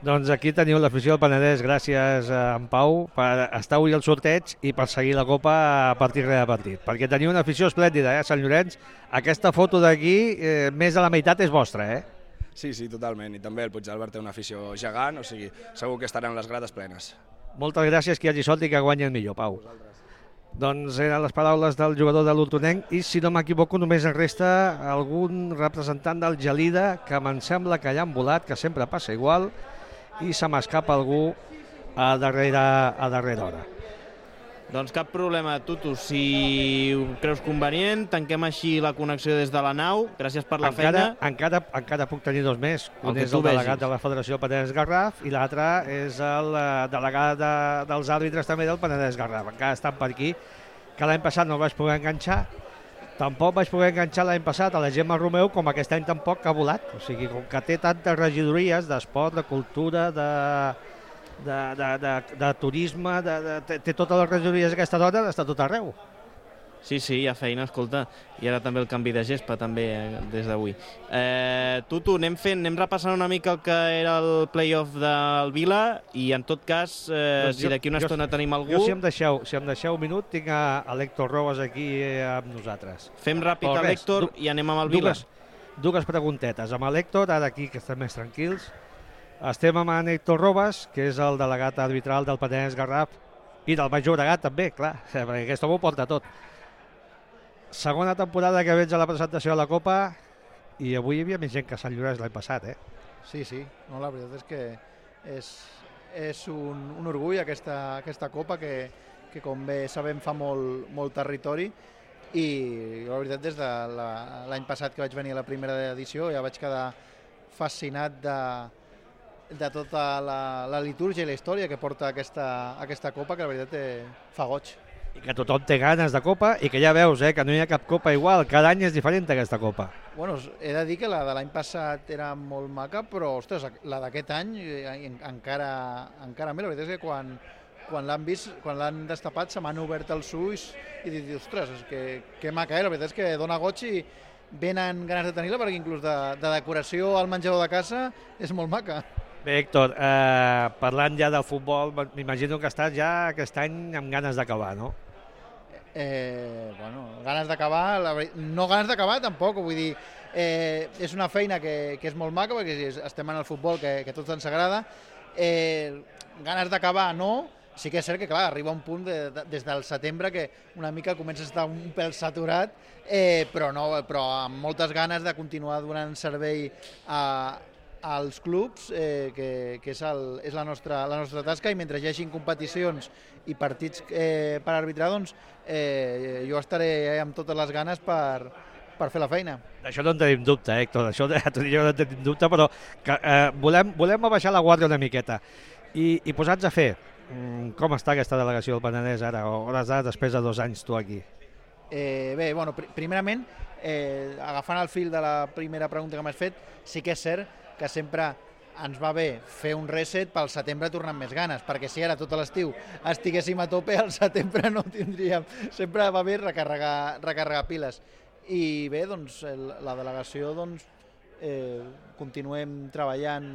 Doncs aquí teniu l'afició del Penedès, gràcies a en Pau per estar avui al sorteig i per seguir la Copa a partir de partit. Perquè teniu una afició esplèndida, eh, Sant Llorenç. Aquesta foto d'aquí, eh, més de la meitat és vostra, eh? Sí, sí, totalment. I també el Puigdàlber té una afició gegant, o sigui, segur que estaran les grades plenes. Moltes gràcies, que hi hagi sort i que guanyi el millor, Pau. Doncs eren les paraules del jugador de l'Hortonenc i, si no m'equivoco, només en resta algun representant del Gelida, que me'n sembla que ja han volat, que sempre passa igual, i se m'escapa algú a darrera, a darrera hora. Doncs cap problema, Tutu. Si ho creus convenient, tanquem així la connexió des de la nau. Gràcies per la encara, feina. Encara, encara puc tenir dos més. Un El que és tu el delegat vegis. de la Federació Penedès Garraf i l'altre és el eh, delegat de, dels àrbitres també del Penedès Garraf. Encara estan per aquí, que l'any passat no el vaig poder enganxar. Tampoc vaig poder enganxar l'any passat a la Gemma Romeu, com aquest any tampoc que ha volat. O sigui, com que té tantes regidories d'esport, de cultura, de... De, de, de, de turisme, de, de, té, té totes les regidories d'aquesta dona, està tot arreu. Sí, sí, hi ha feina, escolta. I ara també el canvi de gespa, també, eh, des d'avui. Eh, Tutu, anem fent, anem repassant una mica el que era el play-off del Vila i, en tot cas, eh, doncs si d'aquí una jo, estona tenim algú... Jo, si em deixeu, si em deixeu un minut, tinc a, a l'Héctor Robes aquí eh, amb nosaltres. Fem ràpid Però a res, l'Héctor i anem amb el Vila. Dues, dues preguntetes. Amb l'Héctor, ara aquí, que estem més tranquils. Estem amb en Héctor Robes, que és el delegat arbitral del Penedès Garraf i del Baix Llobregat també, clar, perquè aquest home ho porta tot. Segona temporada que veig a la presentació de la Copa i avui hi havia més gent que Sant Llorenç l'any passat, eh? Sí, sí, no, la veritat és que és, és un, un orgull aquesta, aquesta Copa que, que com bé sabem fa molt, molt territori i la veritat des de l'any passat que vaig venir a la primera edició ja vaig quedar fascinat de de tota la, la litúrgia i la història que porta aquesta, aquesta Copa, que la veritat eh, fa goig. I que tothom té ganes de Copa i que ja veus eh, que no hi ha cap Copa igual, cada any és diferent aquesta Copa. Bueno, he de dir que la de l'any passat era molt maca, però ostres, la d'aquest any eh, encara, encara més. La veritat és que quan, quan l'han vist, quan l'han destapat se m'han obert els ulls i dit, ostres, és que, que maca, eh? La veritat és que dona goig i venen ganes de tenir-la perquè inclús de, de decoració al menjador de casa és molt maca. Bé, Héctor, eh, parlant ja del futbol, m'imagino que estàs ja aquest any amb ganes d'acabar, no? Eh, bueno, ganes d'acabar, no ganes d'acabar tampoc, vull dir, eh, és una feina que, que és molt maca perquè estem en el futbol que, que a tots ens agrada, eh, ganes d'acabar no, sí que és cert que clar, arriba un punt de, de, des del setembre que una mica comença a estar un pèl saturat, eh, però, no, però amb moltes ganes de continuar donant servei a als clubs, eh, que, que és, el, és la, nostra, la nostra tasca, i mentre hi hagi competicions i partits eh, per arbitrar, doncs eh, jo estaré amb totes les ganes per, per fer la feina. D'això no en tenim dubte, Héctor, d'això no en tenim dubte, però que, eh, volem, volem abaixar la guàrdia una miqueta i, i posar-nos a fer. Com està aquesta delegació del Penedès ara, o hores d'ara, després de dos anys tu aquí? Eh, bé, bueno, pr primerament, eh, agafant el fil de la primera pregunta que m'has fet, sí que és cert que sempre ens va bé fer un reset pel setembre tornar amb més ganes, perquè si ara tot l'estiu estiguéssim a tope, al setembre no tindríem. Sempre va bé recarregar, recarregar piles. I bé, doncs, el, la delegació, doncs, eh, continuem treballant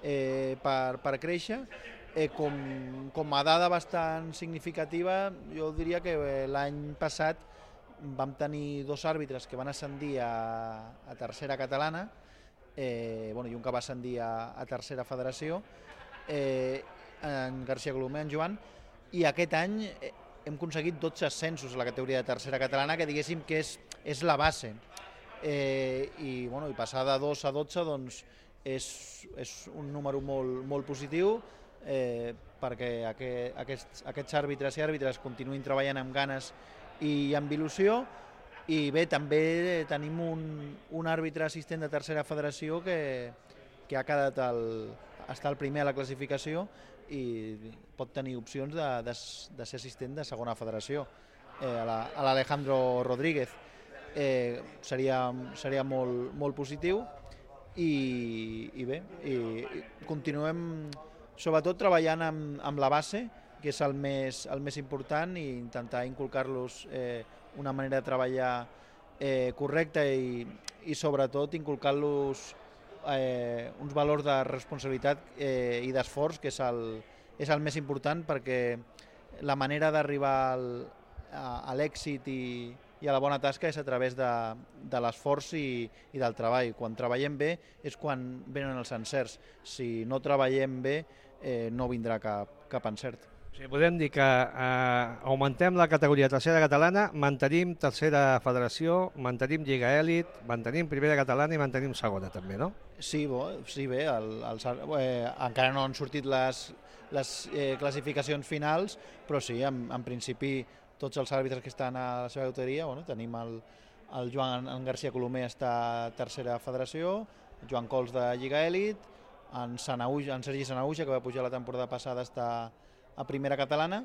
eh, per, per créixer. Eh, com, com a dada bastant significativa, jo diria que eh, l'any passat vam tenir dos àrbitres que van ascendir a, a tercera catalana, Eh, bueno, i un que va ascendir a, a tercera federació, eh, en García Colomer, en Joan, i aquest any eh, hem aconseguit dotze ascensos a la categoria de tercera catalana, que diguéssim que és, és la base. Eh, i, bueno, i passar de dos a dotze doncs, és, és un número molt, molt positiu, eh, perquè aquest, aquests, aquests àrbitres i àrbitres continuïn treballant amb ganes i amb il·lusió. I bé, també tenim un, un àrbitre assistent de tercera federació que, que ha quedat el, està el primer a la classificació i pot tenir opcions de, de, de ser assistent de segona federació, eh, a l'Alejandro la, Rodríguez. Eh, seria seria molt, molt positiu i, i bé, i, i continuem sobretot treballant amb, amb la base, que és el més, el més important, i intentar inculcar-los eh, una manera de treballar eh, correcta i, i sobretot inculcar-los eh, uns valors de responsabilitat eh, i d'esforç, que és el, és el més important, perquè la manera d'arribar a, a l'èxit i, i a la bona tasca és a través de, de l'esforç i, i del treball. Quan treballem bé és quan venen els encerts. Si no treballem bé eh, no vindrà cap, cap encert. Sí, podem dir que eh, augmentem la categoria tercera catalana, mantenim tercera federació, mantenim Lliga Elit, mantenim primera catalana i mantenim segona també, no? Sí, bo, sí bé, el, el, eh, encara no han sortit les, les eh, classificacions finals, però sí, en, en principi tots els àrbitres que estan a la seva autoria, bueno, tenim el, el Joan en García Colomer està a tercera federació, Joan Cols de Lliga Elit, en, Sanauja, en Sergi Sanauja, que va pujar la temporada passada, està a primera catalana,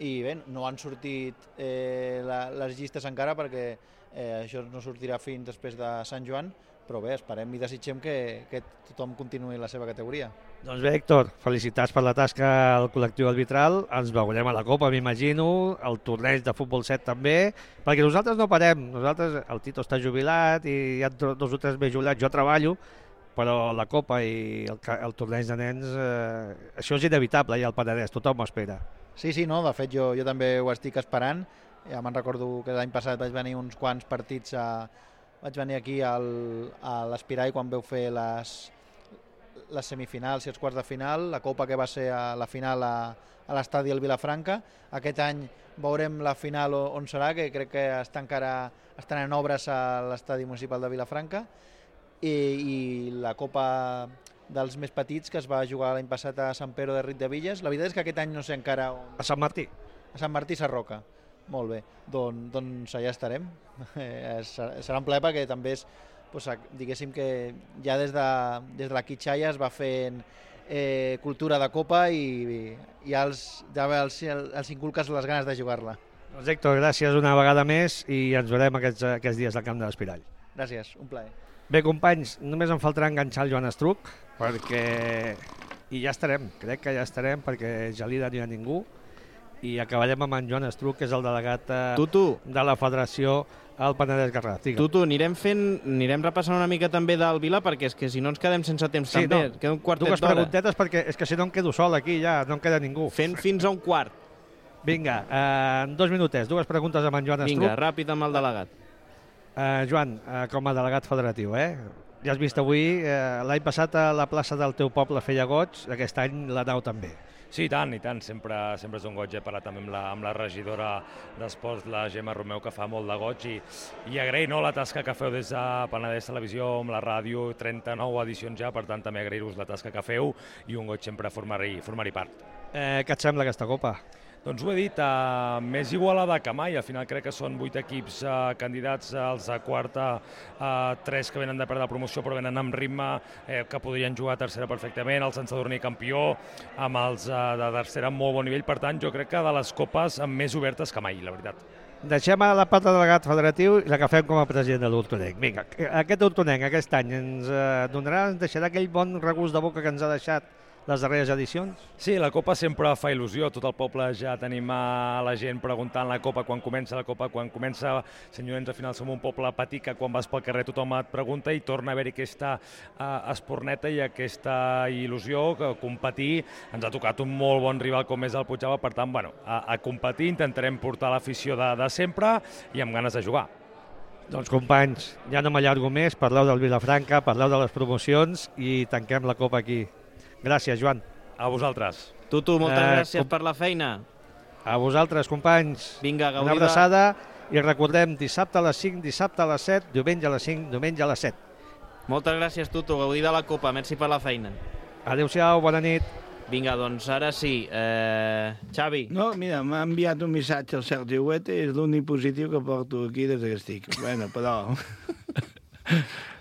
i bé, no han sortit eh, la, les llistes encara perquè eh, això no sortirà fins després de Sant Joan, però bé, esperem i desitgem que, que tothom continuï la seva categoria. Doncs bé, Héctor, felicitats per la tasca al col·lectiu arbitral, ens veurem a la Copa, m'imagino, el torneig de futbol set també, perquè nosaltres no parem, nosaltres, el Tito està jubilat i hi ha dos o tres més jubilats, jo treballo, però la Copa i el, el torneig de nens, eh, això és inevitable, ja al Penedès, tothom ho espera. Sí, sí, no, de fet jo, jo també ho estic esperant, ja me'n recordo que l'any passat vaig venir uns quants partits, a, vaig venir aquí al, a l'Espirai quan veu fer les, les semifinals i els quarts de final, la Copa que va ser a la final a, a l'estadi del Vilafranca, aquest any veurem la final on serà, que crec que està encara, estan en obres a l'estadi municipal de Vilafranca, I, i la Copa dels més petits que es va jugar l'any passat a Sant Pere de Riudebitlles. La veritat és que aquest any no sé encara on... A Sant Martí. A Sant Martí Sarroca. Molt bé, Don, doncs allà estarem. Eh, serà un plaer perquè també és, doncs, diguéssim que ja des de, des de la Quitxalla es va fent eh, cultura de Copa i, i els, ja els, els inculques les ganes de jugar-la. Doncs Héctor, gràcies una vegada més i ens veurem aquests, aquests dies al camp de l'Espirall. Gràcies, un plaer. Bé, companys, només em faltarà enganxar el Joan Estruc, perquè... I ja estarem, crec que ja estarem, perquè Gelida no hi ha ningú, i acabarem amb en Joan Estruc, que és el delegat eh, Tutu. de la Federació al Penedès Garraf. Tutu, anirem fent, anirem repassant una mica també del Vila, perquè és que si no ens quedem sense temps sí, també, no, queda un quartet dues d'hora. preguntetes, perquè és que si no em quedo sol aquí, ja no em queda ningú. Fent fins a un quart. Vinga, eh, en dos minutets, dues preguntes amb en Joan Estruc. Vinga, ràpid amb el delegat. Uh, Joan, uh, com a delegat federatiu, eh? Ja has vist avui, uh, l'any passat a la plaça del teu poble feia goig, aquest any la nau també. Sí, i tant, i tant. Sempre, sempre és un goig. He parlat també amb la, amb la regidora d'Esports, la Gemma Romeu, que fa molt de goig, i, i agrair no, la tasca que feu des de Penedès Televisió, amb la ràdio, trenta-nou edicions ja, per tant també agrair-vos la tasca que feu i un goig sempre formar-hi formar-hi part. Eh, què et sembla aquesta Copa? Doncs ho he dit, uh, més igualada que mai. Al final crec que són vuit equips uh, candidats als de quarta, uh, tres que venen de perdre la promoció però venen amb ritme, eh, que podrien jugar a tercera perfectament, el Sant Sadurní campió, amb els uh, de tercera amb molt bon nivell. Per tant, jo crec que de les copes més obertes que mai, la veritat. Deixem a la part de delegat federatiu i l'agafem com a president de l'Hortonenc. Vinga, aquest Hortonenc aquest any ens uh, donarà, ens deixarà aquell bon regust de boca que ens ha deixat les darreres edicions? Sí, la Copa sempre fa il·lusió, tot el poble ja tenim a la gent preguntant la Copa quan comença la Copa, quan comença, senyorens, al final som un poble petit que quan vas pel carrer tothom et pregunta i torna a haver-hi aquesta uh, esporneta i aquesta il·lusió que competir. Ens ha tocat un molt bon rival com és el Puigdàlber, per tant, bueno, a, a competir, intentarem portar l'afició de, de sempre i amb ganes de jugar. Doncs companys, ja no m'allargo més, parleu del Vilafranca, parleu de les promocions i tanquem la Copa aquí. Gràcies, Joan. A vosaltres. Tutu, moltes eh, gràcies com... per la feina. A vosaltres, companys. Vinga, gaudida. Una abraçada i recordem dissabte a les cinc, dissabte a les set, diumenge a les cinc, diumenge a les set. Moltes gràcies, Tutu. Gaudir de la Copa. Merci per la feina. Adéu-siau, bona nit. Vinga, doncs ara sí. Eh... Xavi. No, mira, m'ha enviat un missatge al Sergi Huete, és l'únic positiu que porto aquí des que estic. Bueno, però...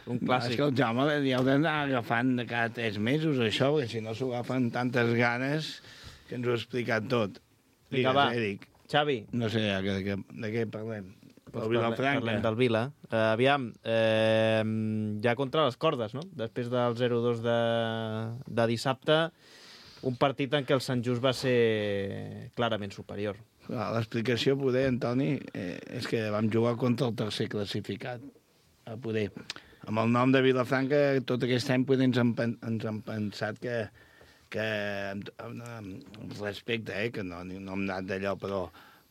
Un clàssic. És que el Jaume ja heu d'anar agafant de cada tres mesos, això, perquè si no s'ho agafen tantes ganes que ens ho ha explicat tot. Vinga, va. Eric. Xavi. No sé de, de, de què parlem. Pues parlem, parlem del Vila. Uh, aviam, eh, ja contra les cordes, no? Després del zero dos de, de dissabte, un partit en què el Sant Just va ser clarament superior. L'explicació, poder, Antoni, eh, és que vam jugar contra el tercer classificat. A poder... Amb el nom de Vilafranca, tot aquest any poder ens, han, ens han pensat que, que amb, amb respecte, eh, que no, no hem anat d'allò, però,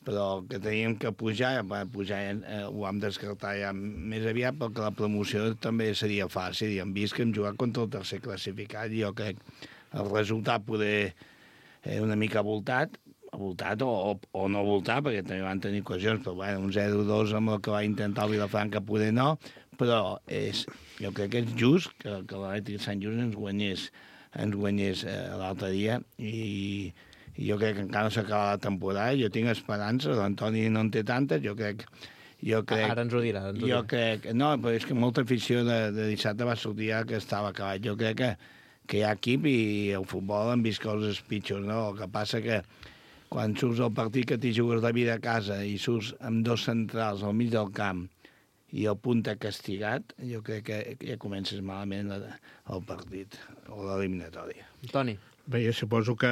però que teníem que pujar, pujar eh, ho vam descartar ja més aviat, perquè la promoció també seria fàcil, i hem vist que hem jugat contra el tercer classificat, i jo crec el resultat poder eh, una mica voltat, voltat o, o no voltar, perquè també van tenir ocasions, però bueno, un zero dos amb el que va intentar el Vilafranca poder no, però és, jo crec que és just que, que l'Atlètic Sant Just ens guanyés, ens guanyés eh, l'altre dia i, i jo crec que encara no s'acaba la temporada, jo tinc esperança, l'Antoni no en té tantes, jo crec... Jo crec, Ara ens ho dirà. Ens ho jo dirà. crec... No, però és que molta afició de, de dissabte va sortir ja que estava acabat. Jo crec que, que hi ha equip i el futbol han vist coses pitjors, no? El que passa que quan surts al partit que t'hi jugues la vida a casa i surts amb dos centrals al mig del camp i el punta castigat, jo crec que ja comences malament el partit o l'eliminatòria. Toni. Bé, jo suposo que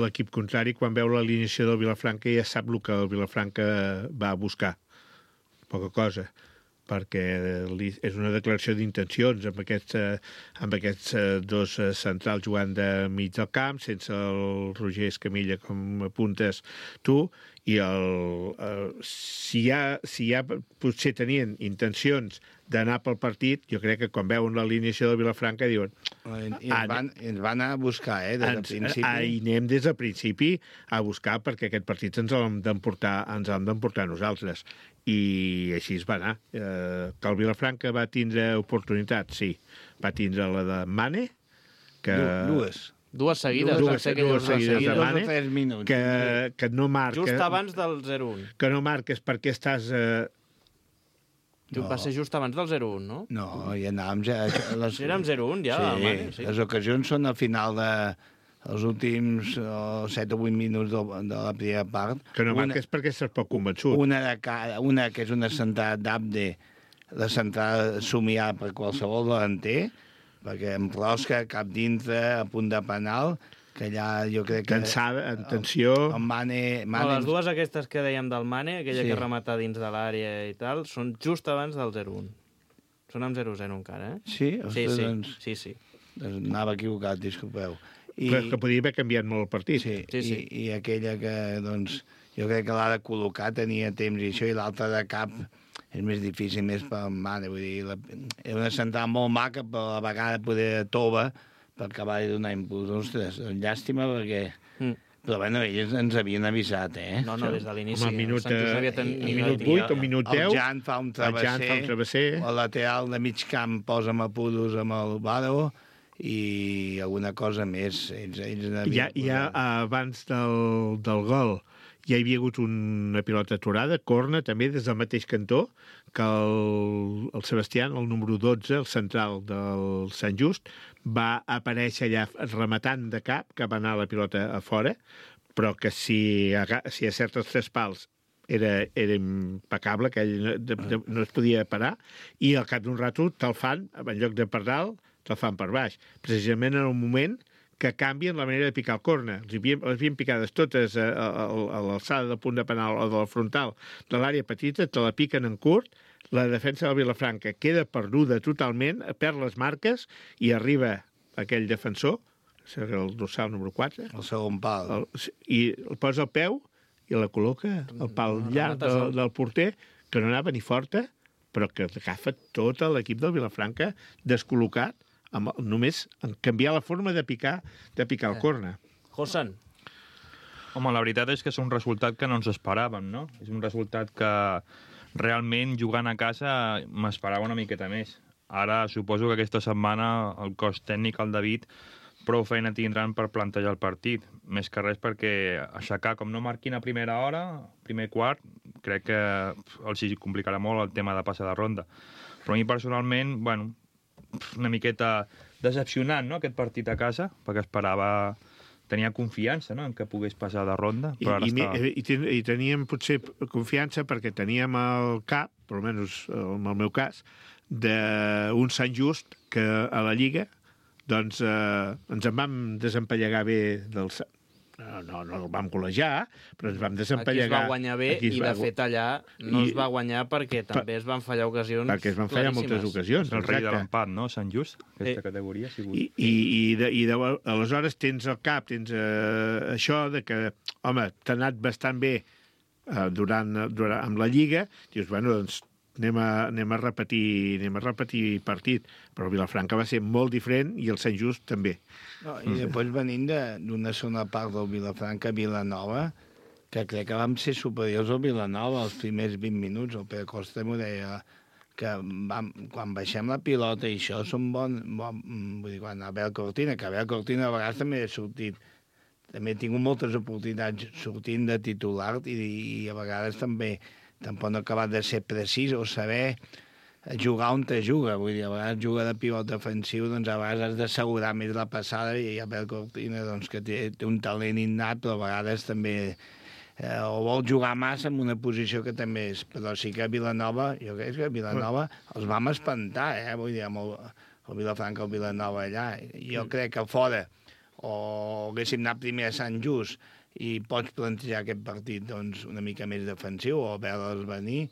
l'equip contrari, quan veu l'alineació del Vilafranca, ja sap el que el Vilafranca va buscar. Poca cosa, perquè és una declaració d'intencions amb aquests, amb aquests dos centrals jugant de mig del camp, sense el Roger Escamilla, com apuntes tu, i el, eh, si, hi ha, si hi ha, potser tenien intencions d'anar pel partit, jo crec que quan veuen l'alineació del Vilafranca diuen... I ens van, ens van anar a buscar, eh, des del principi. Hi anem des del principi a buscar perquè aquest partit ens l'hem d'emportar, ens l'hem d'emportar nosaltres. I així es va anar. Eh, que el Vilafranca va tindre oportunitat, sí. Va tindre la de Mane, que... Dues. Dues seguides. Dues, dues, dues seguides de Mane, minuts. que, que no marca... Just abans del zero un. Que no marques perquè estàs... Eh... No. Va ser just abans del zero un, no? No, ja anàvem ja... Les... Érem zero un, ja. Sí, Mane, sí, les ocasions són al final de... els últims oh, set o vuit minuts de, de la primera part. Que no marques una, perquè estàs poc convençut. Una, de cada, una que és una centrada d'Abde, la centrada somiada per qualsevol delanter, perquè amb rosca, cap dintre, a punt de penal, que allà jo crec que... Tensada, en tensió... El, el Mane... Mane... No, les dues aquestes que dèiem del Mane, aquella sí. que remata dins de l'àrea i tal, són just abans del zero un. Són amb zero zero encara, eh? Sí? Sí, Ostres, sí. Doncs, sí, sí. Doncs anava equivocat, disculpeu. I... Però que podria haver canviat molt el partit. Sí, sí, sí. I, i aquella que, doncs, jo crec que l'ha de col·locar, tenia temps i això, i l'altra de cap és més difícil, més per Mane, vull dir, la, és una central molt maca, però a la vegada poder tova per acabar de donar impuls. Ostres, llàstima perquè... Mm. Però bueno, ells ens havien avisat, eh? No, no, des de l'inici. Home, minut, ten... i, minut vuit o minut deu. El Jan fa un travesser, el, Jan fa un travesser. El lateral de mig camp posa amb apuros amb el Baro, i alguna cosa més. Ells, ells ja, ja abans del, del gol ja hi havia hagut una pilota aturada, corna també des del mateix cantó, que el, el Sebastián, el número dotze, el central del Sant Just, va aparèixer allà rematant de cap, que va anar la pilota a fora, però que si, si acerta els tres pals era, era impecable, que ell no, de, de, no es podia parar, i al cap d'un rato te'l fan, en lloc de per dalt, te'l fan per baix. Precisament en el moment que canvien la manera de picar el corna. Les havien, les havien picades totes a, a, a l'alçada del punt de penal o de la frontal de l'àrea petita, te la piquen en curt, la defensa del Vilafranca queda perduda totalment, perd les marques i arriba aquell defensor, el dorsal número quatre, el segon pal, el, i el posa al peu i la col·loca al pal llarg del, del porter, que no anava ni forta, però que agafa tot l'equip del Vilafranca descol·locat, amb, només en canviar la forma de picar de picar el corna. Josan. Home, la veritat és que és un resultat que no ens esperàvem, no? És un resultat que realment jugant a casa m'esperava una miqueta més. Ara suposo que aquesta setmana el cos tècnic, el David, prou feina tindran per plantejar el partit. Més que res perquè aixecar, com no marquin a primera hora, primer quart, crec que els complicarà molt el tema de passar de ronda. Però a mi personalment, bueno, una miqueta decepcionant, no?, aquest partit a casa, perquè esperava, tenia confiança, no?, en que pogués passar de ronda, però ara I, està... i, i, i teníem potser confiança perquè teníem el cap, per almenys en el meu cas, d'un Sant Just que a la Lliga doncs eh, ens en vam desempallegar bé del... No, no, no el vam col·legiar, però ens vam desempallegar... Aquí es va guanyar bé i, de fet, allà no I... es va guanyar perquè també es van fallar ocasions perquè es van fallar moltes ocasions. El rei de l'empat, no?, Sant Just, aquesta eh. categoria. Ha sigut... I, i, i, de, i de, aleshores tens el cap, tens eh, això de que, home, t'ha anat bastant bé eh, durant, durant, amb la Lliga, dius, bueno, doncs anem a, anem a repetir anem a repetir partit, però Vilafranca va ser molt diferent i el Sant Just també. No, i després venint d'una segona part del Vilafranca, Vilanova, que crec que vam ser superiors al Vilanova els primers vint minuts. El Pere Costa m'ho deia, que vam, quan baixem la pilota i això són bon, bon vull dir, quan Abel Cortina, que Abel Cortina a vegades també ha sortit, també he tingut moltes oportunitats sortint de titular i, i a vegades també tampoc no ha acabat de ser precís o saber jugar on te juga, vull dir, a vegades juga de pivot defensiu, doncs a vegades has d'assegurar més la passada i Abel Cortina, doncs, que té, té un talent innat, però a vegades també eh, o vol jugar massa en una posició que també és, però sí que a Vilanova, jo crec que a Vilanova els vam espantar, eh, vull dir, amb el, el Vilafranca o el Vilanova allà, jo crec que fora o haguéssim anat primer a Sant Just i pots plantejar aquest partit doncs, una mica més defensiu o veure'ls venir,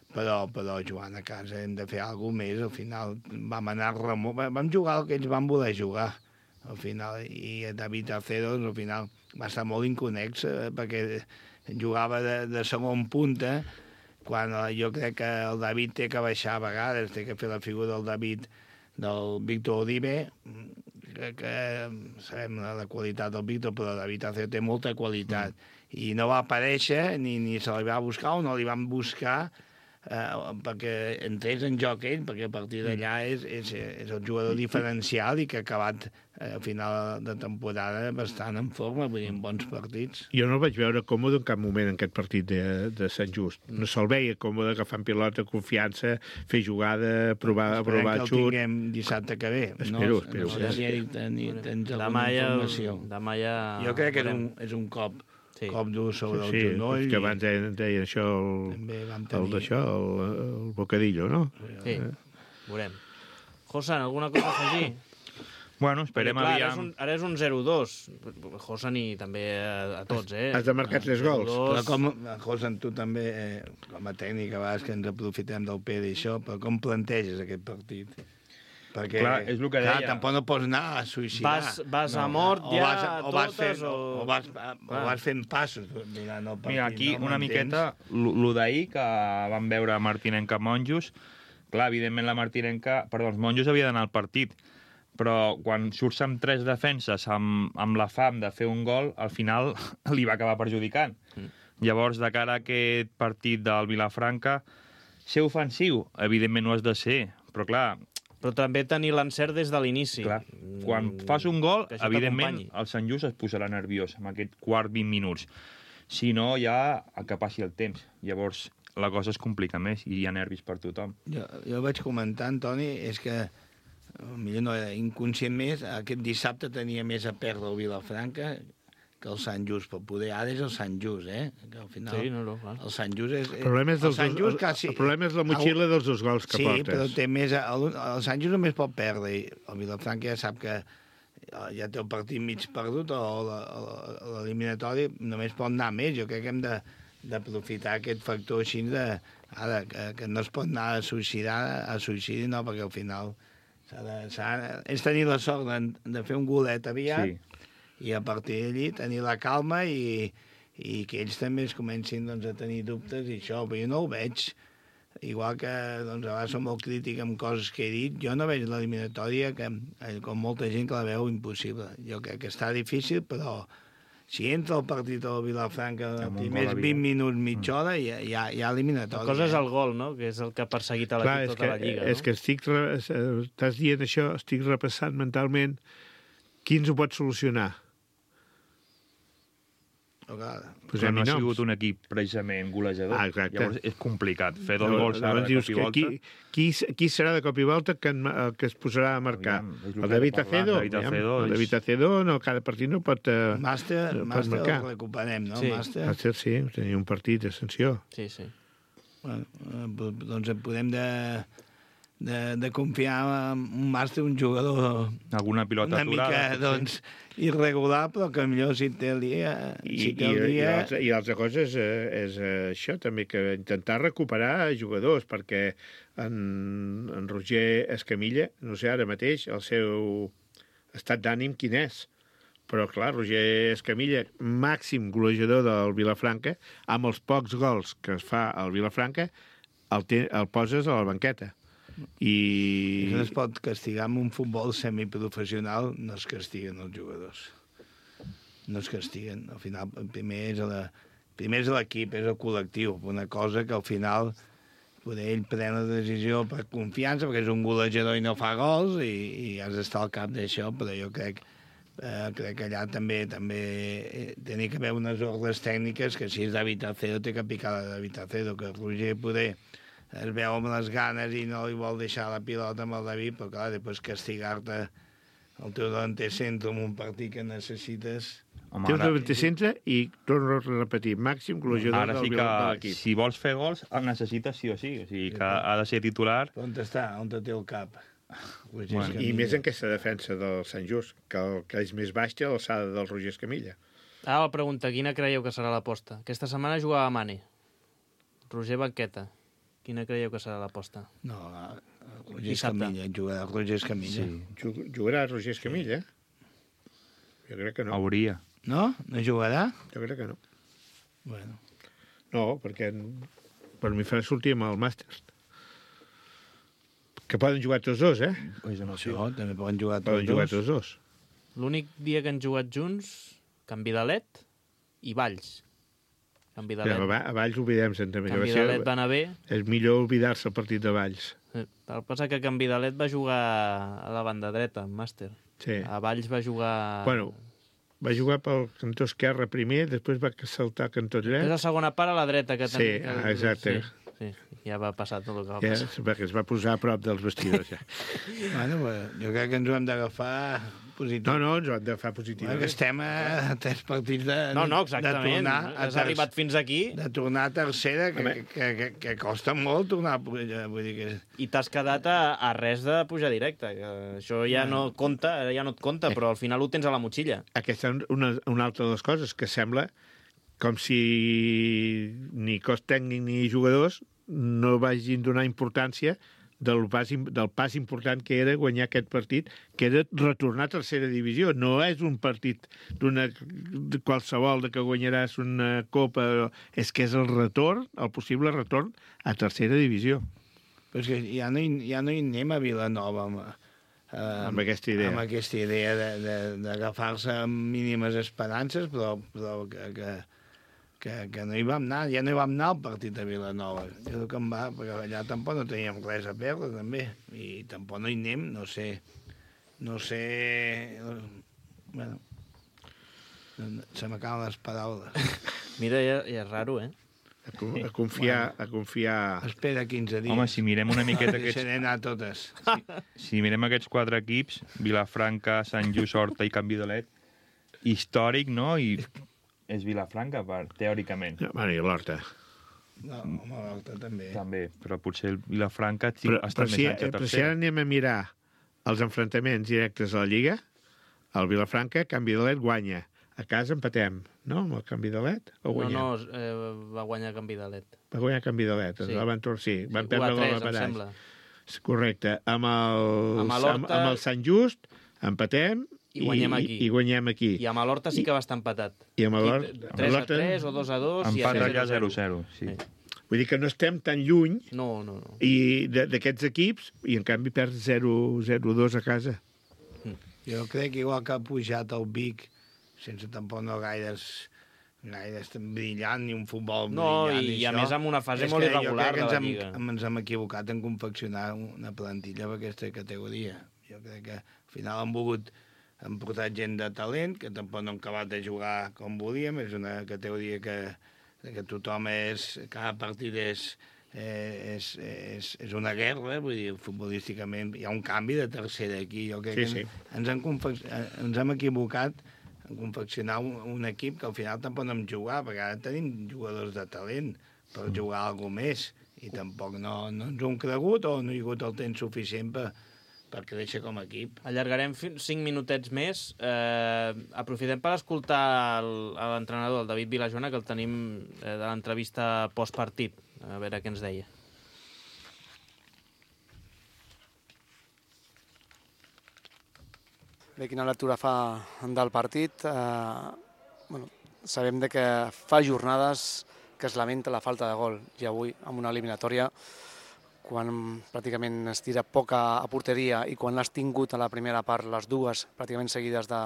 però, però jugant a casa hem de fer alguna cosa més. Al final vam anar remor... vam jugar el que ells van voler jugar al final, i David Aceros al final va estar molt inconex eh, perquè jugava de, de segon punta, quan eh, jo crec que el David té que baixar a vegades, té que fer la figura del David, del Víctor Uribe, que, que sabem la, la qualitat del Víctor, però el David Aceros té molta qualitat, mm. i no va aparèixer, ni, ni se li va buscar o no li van buscar, Uh, perquè entrés en joc ell, perquè a partir d'allà és, és, és el jugador diferencial i que ha acabat uh, a final de temporada bastant en forma, vull dir, en bons partits. Jo no el vaig veure còmode en cap moment en aquest partit de, de Sant Just. No se'l veia còmode agafant pilota, confiança, fer jugada, provar, provar xut. Esperem que el tinguem dissabte que ve. Espero, no? espero. No sé si Eric tens alguna informació. Demà ja... Jo crec que és un, és un cop. Sí. Cop dur sobre sí, el genoll. Sí, que abans deien, deien això, el, tenir... el d'això, el, el bocadillo, no? Sí, eh. veurem. Josan, alguna cosa a afegir? Bueno, esperem clar, aviam... Ara és un, ara és un zero dos. Josan i també a, a tots, eh? Has de marcar tres gols. Però com, Josan, tu també, eh, com a tècnic, a vegades que ens aprofitem del Pere i això, però com planteges aquest partit? Perquè, clar, és el que deia. Clar, tampoc no pots anar a suïcidar. Vas, vas no. a mort o ja vas, o vas totes, fent, o... O vas, o vas fent passos. Mira, no, Mira aquí no una miqueta, lo d'ahir, que vam veure Martinenca Monjos, clar, evidentment la Martinenca, perdó, els Monjos havia d'anar al partit, però quan surts amb tres defenses, amb, amb la fam de fer un gol, al final li va acabar perjudicant. Mm. Llavors, de cara a aquest partit del Vilafranca, ser ofensiu, evidentment no has de ser, però clar... Però també tenir l'encert des de l'inici. Clar, quan fas un gol, evidentment, el Sant Just es posarà nerviós amb aquest quart vint minuts. Si no, ja que passi el temps. Llavors, la cosa es complica més i hi ha nervis per tothom. Jo, jo vaig comentar, Antoni, és que, millor no era inconscient més, aquest dissabte tenia més a perdre el Vilafranca que el Sant Just, però poder ara és el Sant Just, eh? Que al final sí, no, no, clar. El Sant Just és... El problema és, el, dos, quasi, el problema és la motxilla dels dos gols que sí, portes. Sí, però té més... El, el Sant Just només pot perdre, i el Vilafranca ja sap que ja té el partit mig perdut, o l'eliminatori només pot anar més. Jo crec que hem d'aprofitar aquest factor així de... Ara, que, que no es pot anar a suïcidar, a suïcidi no, perquè al final s'ha de, s'ha, és tenir la sort de, de fer un golet aviat, sí. I a partir d'allí tenir la calma i, i que ells també es comencin doncs, a tenir dubtes i això, però jo no ho veig. Igual que doncs, a vegades som molt crític amb coses que he dit, jo no veig l'eliminatòria que, com molta gent que la veu impossible. Jo crec que està difícil, però si entra el partit al Vilafranca els primers vint minuts, mitja hora, hi ha, hi ha, hi ha eliminatòria. La cosa és el gol, no?, que és el que ha perseguit a l'equip tota que, la Lliga. És no? que estic, estàs dient això, estic repassant mentalment qui ens ho pot solucionar. Però no ha sigut un equip precisament golejador. Ah, exacte. Llavors és complicat fer dos gols ara de cop i volta. Qui, qui, qui serà de cop i volta que, en, que es posarà a marcar? Aviam, el David Acedo? David Acedo, el David Acedo no, cada partit no pot, uh, Màster, pot Màster marcar. el recuperem, no? Sí. Màster. Màster, sí, tenia un partit d'ascensió. Sí, sí. Bueno, doncs podem de... De, de confiar en un màster, un jugador alguna pilota una mica doncs, irregular, però que millor si té el dia... I, si té el i, dia... i, i l'altra cosa és, és això, també, que intentar recuperar jugadors, perquè en, en Roger Escamilla, no sé ara mateix, el seu estat d'ànim quin és, però clar, Roger Escamilla, màxim golejador del Vilafranca, amb els pocs gols que es fa al Vilafranca, el, te, el poses a la banqueta. I... No es pot castigar amb un futbol semiprofessional, no es castiguen els jugadors. No es castiguen. Al final, primer és la primer és l'equip, és el col·lectiu, una cosa que al final poder ell pren la decisió per confiança, perquè és un golejador i no fa gols, i, i has d'estar al cap d'això, però jo crec, eh, crec que allà també també tenia que haver unes ordres tècniques que si és David Acero té que picar la David Acero, que Roger poder es veu amb les ganes i no li vol deixar la pilota amb el David, però clar, després castigar-te el teu davanter centre en un partit que necessites... Home, té un davanter centre i torno a repetir, màxim golejador ara sí del, que, de l'equip. si vols fer gols, el necessites sí o sí, o sigui que ha de ser titular. On està? On té el cap? Bueno, I més en aquesta defensa del Sant Just, que, el, que és més baixa a l'alçada del Roger Escamilla. Ara la pregunta, quina creieu que serà l'aposta? Aquesta setmana jugava Mane. Roger Banqueta. Quina creieu que serà l'aposta? No, Roger Escamilla, jugarà Roger Escamilla. Sí. Jugarà Roger Escamilla? Jo crec que no. Hauria. No? No jugarà? Jo crec que no. Bueno. No, perquè per mi farà sortir amb el Màsters. Que poden jugar tots dos, eh? Pues no, això, també poden jugar tots poden dos. Jugar tots dos. L'únic dia que han jugat junts, Can Vidalet i Valls. Can Vidalet. Ja, a Valls oblidem-se'n també. Can Vidalet va anar bé. És millor oblidar-se el partit de Valls. El que passa que Can Vidalet va jugar a la banda dreta, en màster. Sí. A Valls va jugar... Bueno, va jugar pel cantó esquerre primer, després va saltar al cantó dret. És la segona part a la dreta. Que sí, ten... exacte. Sí, sí, ja va passar tot el que va ja, passar. Perquè es va posar a prop dels vestidors, ja. Bueno, jo crec que ens ho hem d'agafar positiu. No, no, ens ho hem d'agafar positiu. Bueno, que estem a tres partits de, no, no, exactament. de tornar... Has ter... arribat fins aquí. De tornar a tercera, que, que, que, que, que costa molt tornar a pujar. Vull dir que... I t'has quedat a, a res de pujar directe. Que això ja no compta, ja no et compta, però al final ho tens a la motxilla. Aquesta és una, una altra de les coses, que sembla com si ni cos tècnic ni jugadors no vagin donar importància del pas, del pas important que era guanyar aquest partit, que era retornar a tercera divisió. No és un partit d'una qualsevol de que guanyaràs una copa, és que és el retorn, el possible retorn a tercera divisió. Però és que ja no hi, ja no hi anem a Vilanova amb, eh, amb aquesta idea, amb aquesta idea d'agafar-se amb mínimes esperances, però, però que, que Que, que no hi vam anar, ja no hi vam anar al partit de Vilanova. Jo que em va, perquè allà tampoc no teníem res a perdre, també. I tampoc no hi anem, no sé... No sé... Bueno... Se m'acaben les paraules. Mira, ja, ja és raro, eh? A, a confiar... A confiar... Espera quinze dies. Home, si mirem una miqueta aquests... Deixaré anar totes. Si, si mirem aquests quatre equips, Vilafranca, Sant Just, Horta i Can Vidalet, històric, no? I... és Vilafranca, per, teòricament. Ja, bueno, i l'Horta. No, home, l'Horta també. També, però potser el Vilafranca però, ha estat però més si, anys a però si tercera. ara anem a mirar els enfrontaments directes a la Lliga, el Vilafranca, Can Vidalet guanya. A casa empatem, no? Amb el Can Vidalet? O guanyem? No, no, eh, va guanyar Can Vidalet. Va guanyar Can Vidalet, sí. Van tornar, sí. Van sí, perdre la batalla. Correcte. Amb el, amb, amb, amb el Sant Just empatem, I guanyem aquí. I, i guanyem aquí. I amb l'Horta sí que va estar empatat. I amb l'Horta... tres a tres o dos a dos... Empat allà zero a zero, sí. sí. Vull dir que no estem tan lluny no, no, no. i d'aquests equips, i en canvi perds zero a dos a casa. Jo crec que igual que ha pujat el Vic, sense tampoc no gaires gaires brillant, ni un futbol no, brillant. I, i a això. més amb una fase molt irregular de la Lliga. Hem, ens hem equivocat en confeccionar una plantilla per aquesta categoria. Jo crec que al final han volgut han portat gent de talent, que tampoc no han acabat de jugar com volíem, és una categoria que, que tothom és, cada partit és, eh, és, és, és una guerra, vull dir, futbolísticament hi ha un canvi de tercera aquí, jo crec sí, que sí. Ens, hem ens hem equivocat en confeccionar un, un equip que al final tampoc no hem jugat, perquè ara tenim jugadors de talent per jugar alguna més, i tampoc no, no ens ho hem cregut o no hi ha hagut el temps suficient per per créixer com a equip. Allargarem cinc minutets més. Eh, aprofitem per escoltar l'entrenador, el David Vilajoana, que el tenim eh, de l'entrevista postpartit. A veure què ens deia. Bé, quina lectura fa del partit? Eh, bueno, sabem de que fa jornades que es lamenta la falta de gol, i avui, amb una eliminatòria, quan pràcticament es tira poc a, a porteria i quan l'has tingut a la primera part, les dues pràcticament seguides de,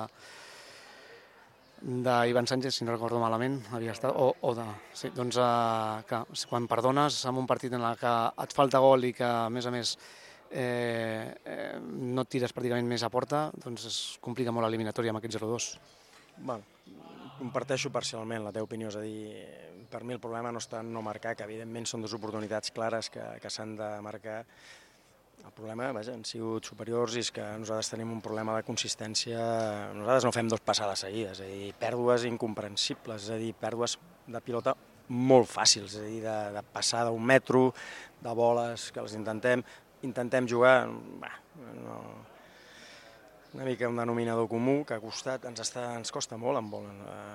d'Ivan Sánchez, si no recordo malament, havia estat, o, o de... Sí, doncs eh, que quan perdones en un partit en el que et falta gol i que, a més a més, eh, eh, no et tires pràcticament més a porta, doncs es complica molt l'eliminatòria amb aquest zero dos. Bueno, comparteixo parcialment la teva opinió, és a dir, per mi el problema no està en no marcar, que evidentment són dues oportunitats clares que, que s'han de marcar. El problema, vaja, han sigut superiors i és que nosaltres tenim un problema de consistència. Nosaltres no fem dos passades seguides, és a dir, pèrdues incomprensibles, és a dir, pèrdues de pilota molt fàcils, és a dir, de, de passar d'un metro, de boles, que les intentem, intentem jugar, bah, no, una mica un denominador comú que ha costat, ens, està, ens costa molt en vol,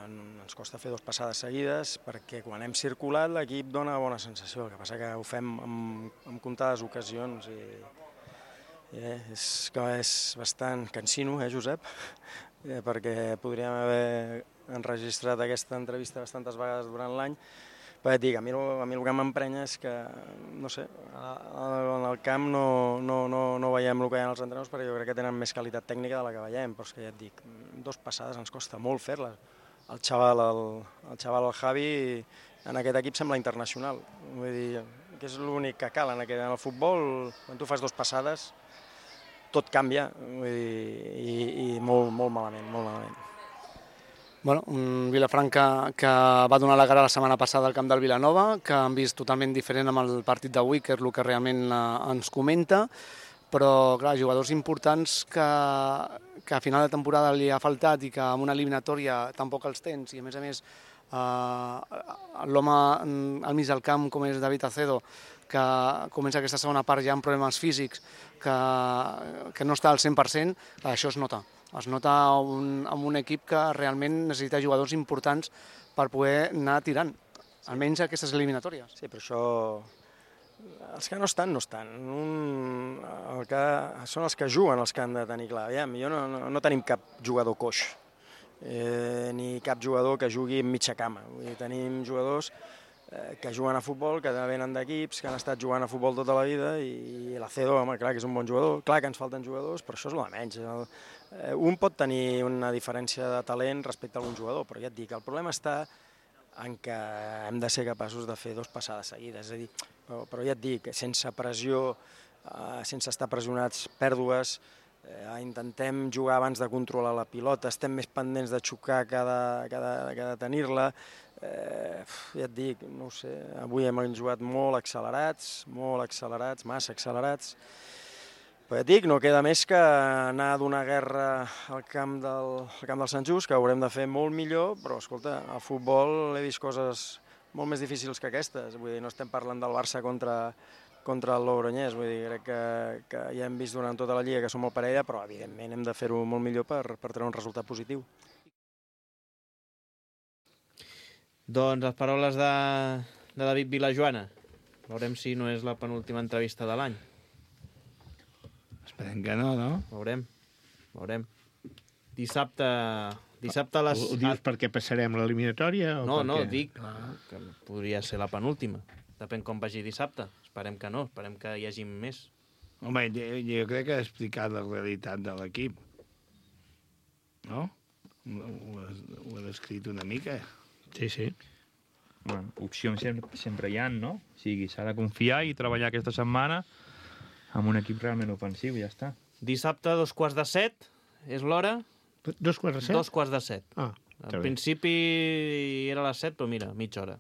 ens costa fer dos passades seguides perquè quan hem circulat l'equip dona bona sensació, el que passa que ho fem amb, amb comptades ocasions i, i eh, és que és bastant cansino, eh, Josep? Eh, perquè podríem haver enregistrat aquesta entrevista bastantes vegades durant l'any. Però et dic, a mi, a mi el que m'emprenya és que, no sé, en el camp no, no, no, no veiem el que hi ha als entrenadors perquè jo crec que tenen més qualitat tècnica de la que veiem, però és que ja et dic, dos passades ens costa molt fer-les. El xaval, el, el xaval, el Javi, en aquest equip sembla internacional. Vull dir, que és l'únic que cal en, aquest, en el futbol, quan tu fas dos passades, tot canvia, vull dir, i, i molt, molt malament, molt malament. Bueno, un Vilafranca que va donar la cara la setmana passada al camp del Vilanova, que han vist totalment diferent amb el partit d'avui, que és el que realment ens comenta, però clar, jugadors importants que, que a final de temporada li ha faltat i que amb una eliminatòria tampoc els tens, i a més a més eh, l'home al mig del camp com és David Acedo, que comença aquesta segona part ja amb problemes físics, que, que no està al cent per cent, això es nota. Es nota un, amb un equip que realment necessita jugadors importants per poder anar tirant, almenys aquestes eliminatòries. Sí, però això... Els que no estan, no estan. Un, el que, són els que juguen els que han de tenir clar. Aviam, jo no, no, no tenim cap jugador coix, eh, ni cap jugador que jugui en mitja cama. Vull dir, tenim jugadors eh, que juguen a futbol, que venen d'equips, que han estat jugant a futbol tota la vida, i l'Acedo, home, clar que és un bon jugador, clar que ens falten jugadors, però això és el de menys. El, Un pot tenir una diferència de talent respecte a algun jugador, però ja et dic, el problema està en que hem de ser capaços de fer dos passades seguides. És a dir, però, però ja et dic, sense pressió, eh, sense estar pressionats, pèrdues, eh, intentem jugar abans de controlar la pilota, estem més pendents de xocar que de, que de, que de tenir-la. Eh, ja et dic, no ho sé, avui hem jugat molt accelerats, molt accelerats, massa accelerats. Però ja et dic, no queda més que anar a donar guerra al camp del, al camp del Sant Just, que haurem de fer molt millor, però escolta, al futbol he vist coses molt més difícils que aquestes. Vull dir, no estem parlant del Barça contra, contra el Logroñés, vull dir, crec que, que ja hem vist durant tota la Lliga que som molt parella, però evidentment hem de fer-ho molt millor per, per treure un resultat positiu. Doncs les paraules de, de David Vilajoana. Veurem si no és la penúltima entrevista de l'any. Esperem que no, no? Veurem, veurem. Dissabte... Dissabte a les... Ho dius perquè passarem l'eliminatòria? No, no, dic que podria ser la penúltima. Depèn com vagi dissabte. Esperem que no, esperem que hi hagi més. Home, jo, jo crec que ha explicat la realitat de l'equip. No? Ho, ho ha descrit una mica. Sí, sí. Bueno, opcions sempre, sempre hi ha, no? O sigui, s'ha de confiar i treballar aquesta setmana amb un equip realment ofensiu, ja està. Dissabte, dos quarts de set, és l'hora? Dos quarts de set? Dos quarts de set. Ah, Al principi era a les set, però mira, mitja hora.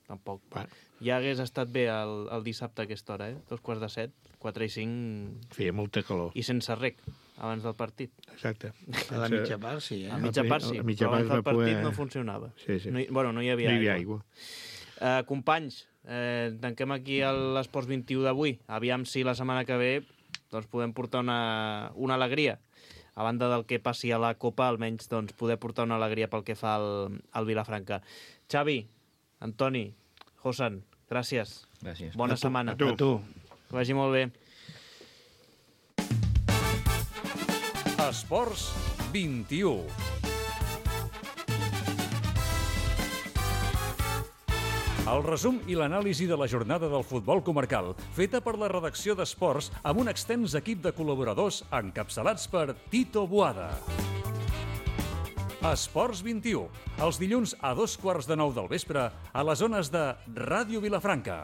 Tampoc. Bueno. Ja hagués estat bé el, el dissabte a aquesta hora, eh? Dos quarts de set, quatre i cinc... Feia molta calor. I sense rec, abans del partit. Exacte. A la mitja part sí, eh? A mitja part sí, però abans del partit no funcionava. Sí, sí. No hi, bueno, no hi havia no hi havia aigua. aigua. Uh, companys, eh, tanquem aquí l'Esports vint-i-u d'avui. Aviam si la setmana que ve doncs, podem portar una, una alegria. A banda del que passi a la Copa, almenys doncs, poder portar una alegria pel que fa al, al Vilafranca. Xavi, Antoni, Josan, gràcies. Gràcies. Bona a tu, setmana. A tu. A tu. Que vagi molt bé. Esports vint-i-u. El resum i l'anàlisi de la jornada del futbol comarcal, feta per la redacció d'Esports amb un extens equip de col·laboradors encapçalats per Tito Boada. Esports vint-i-u, els dilluns a dos quarts de nou del vespre a les zones de Ràdio Vilafranca.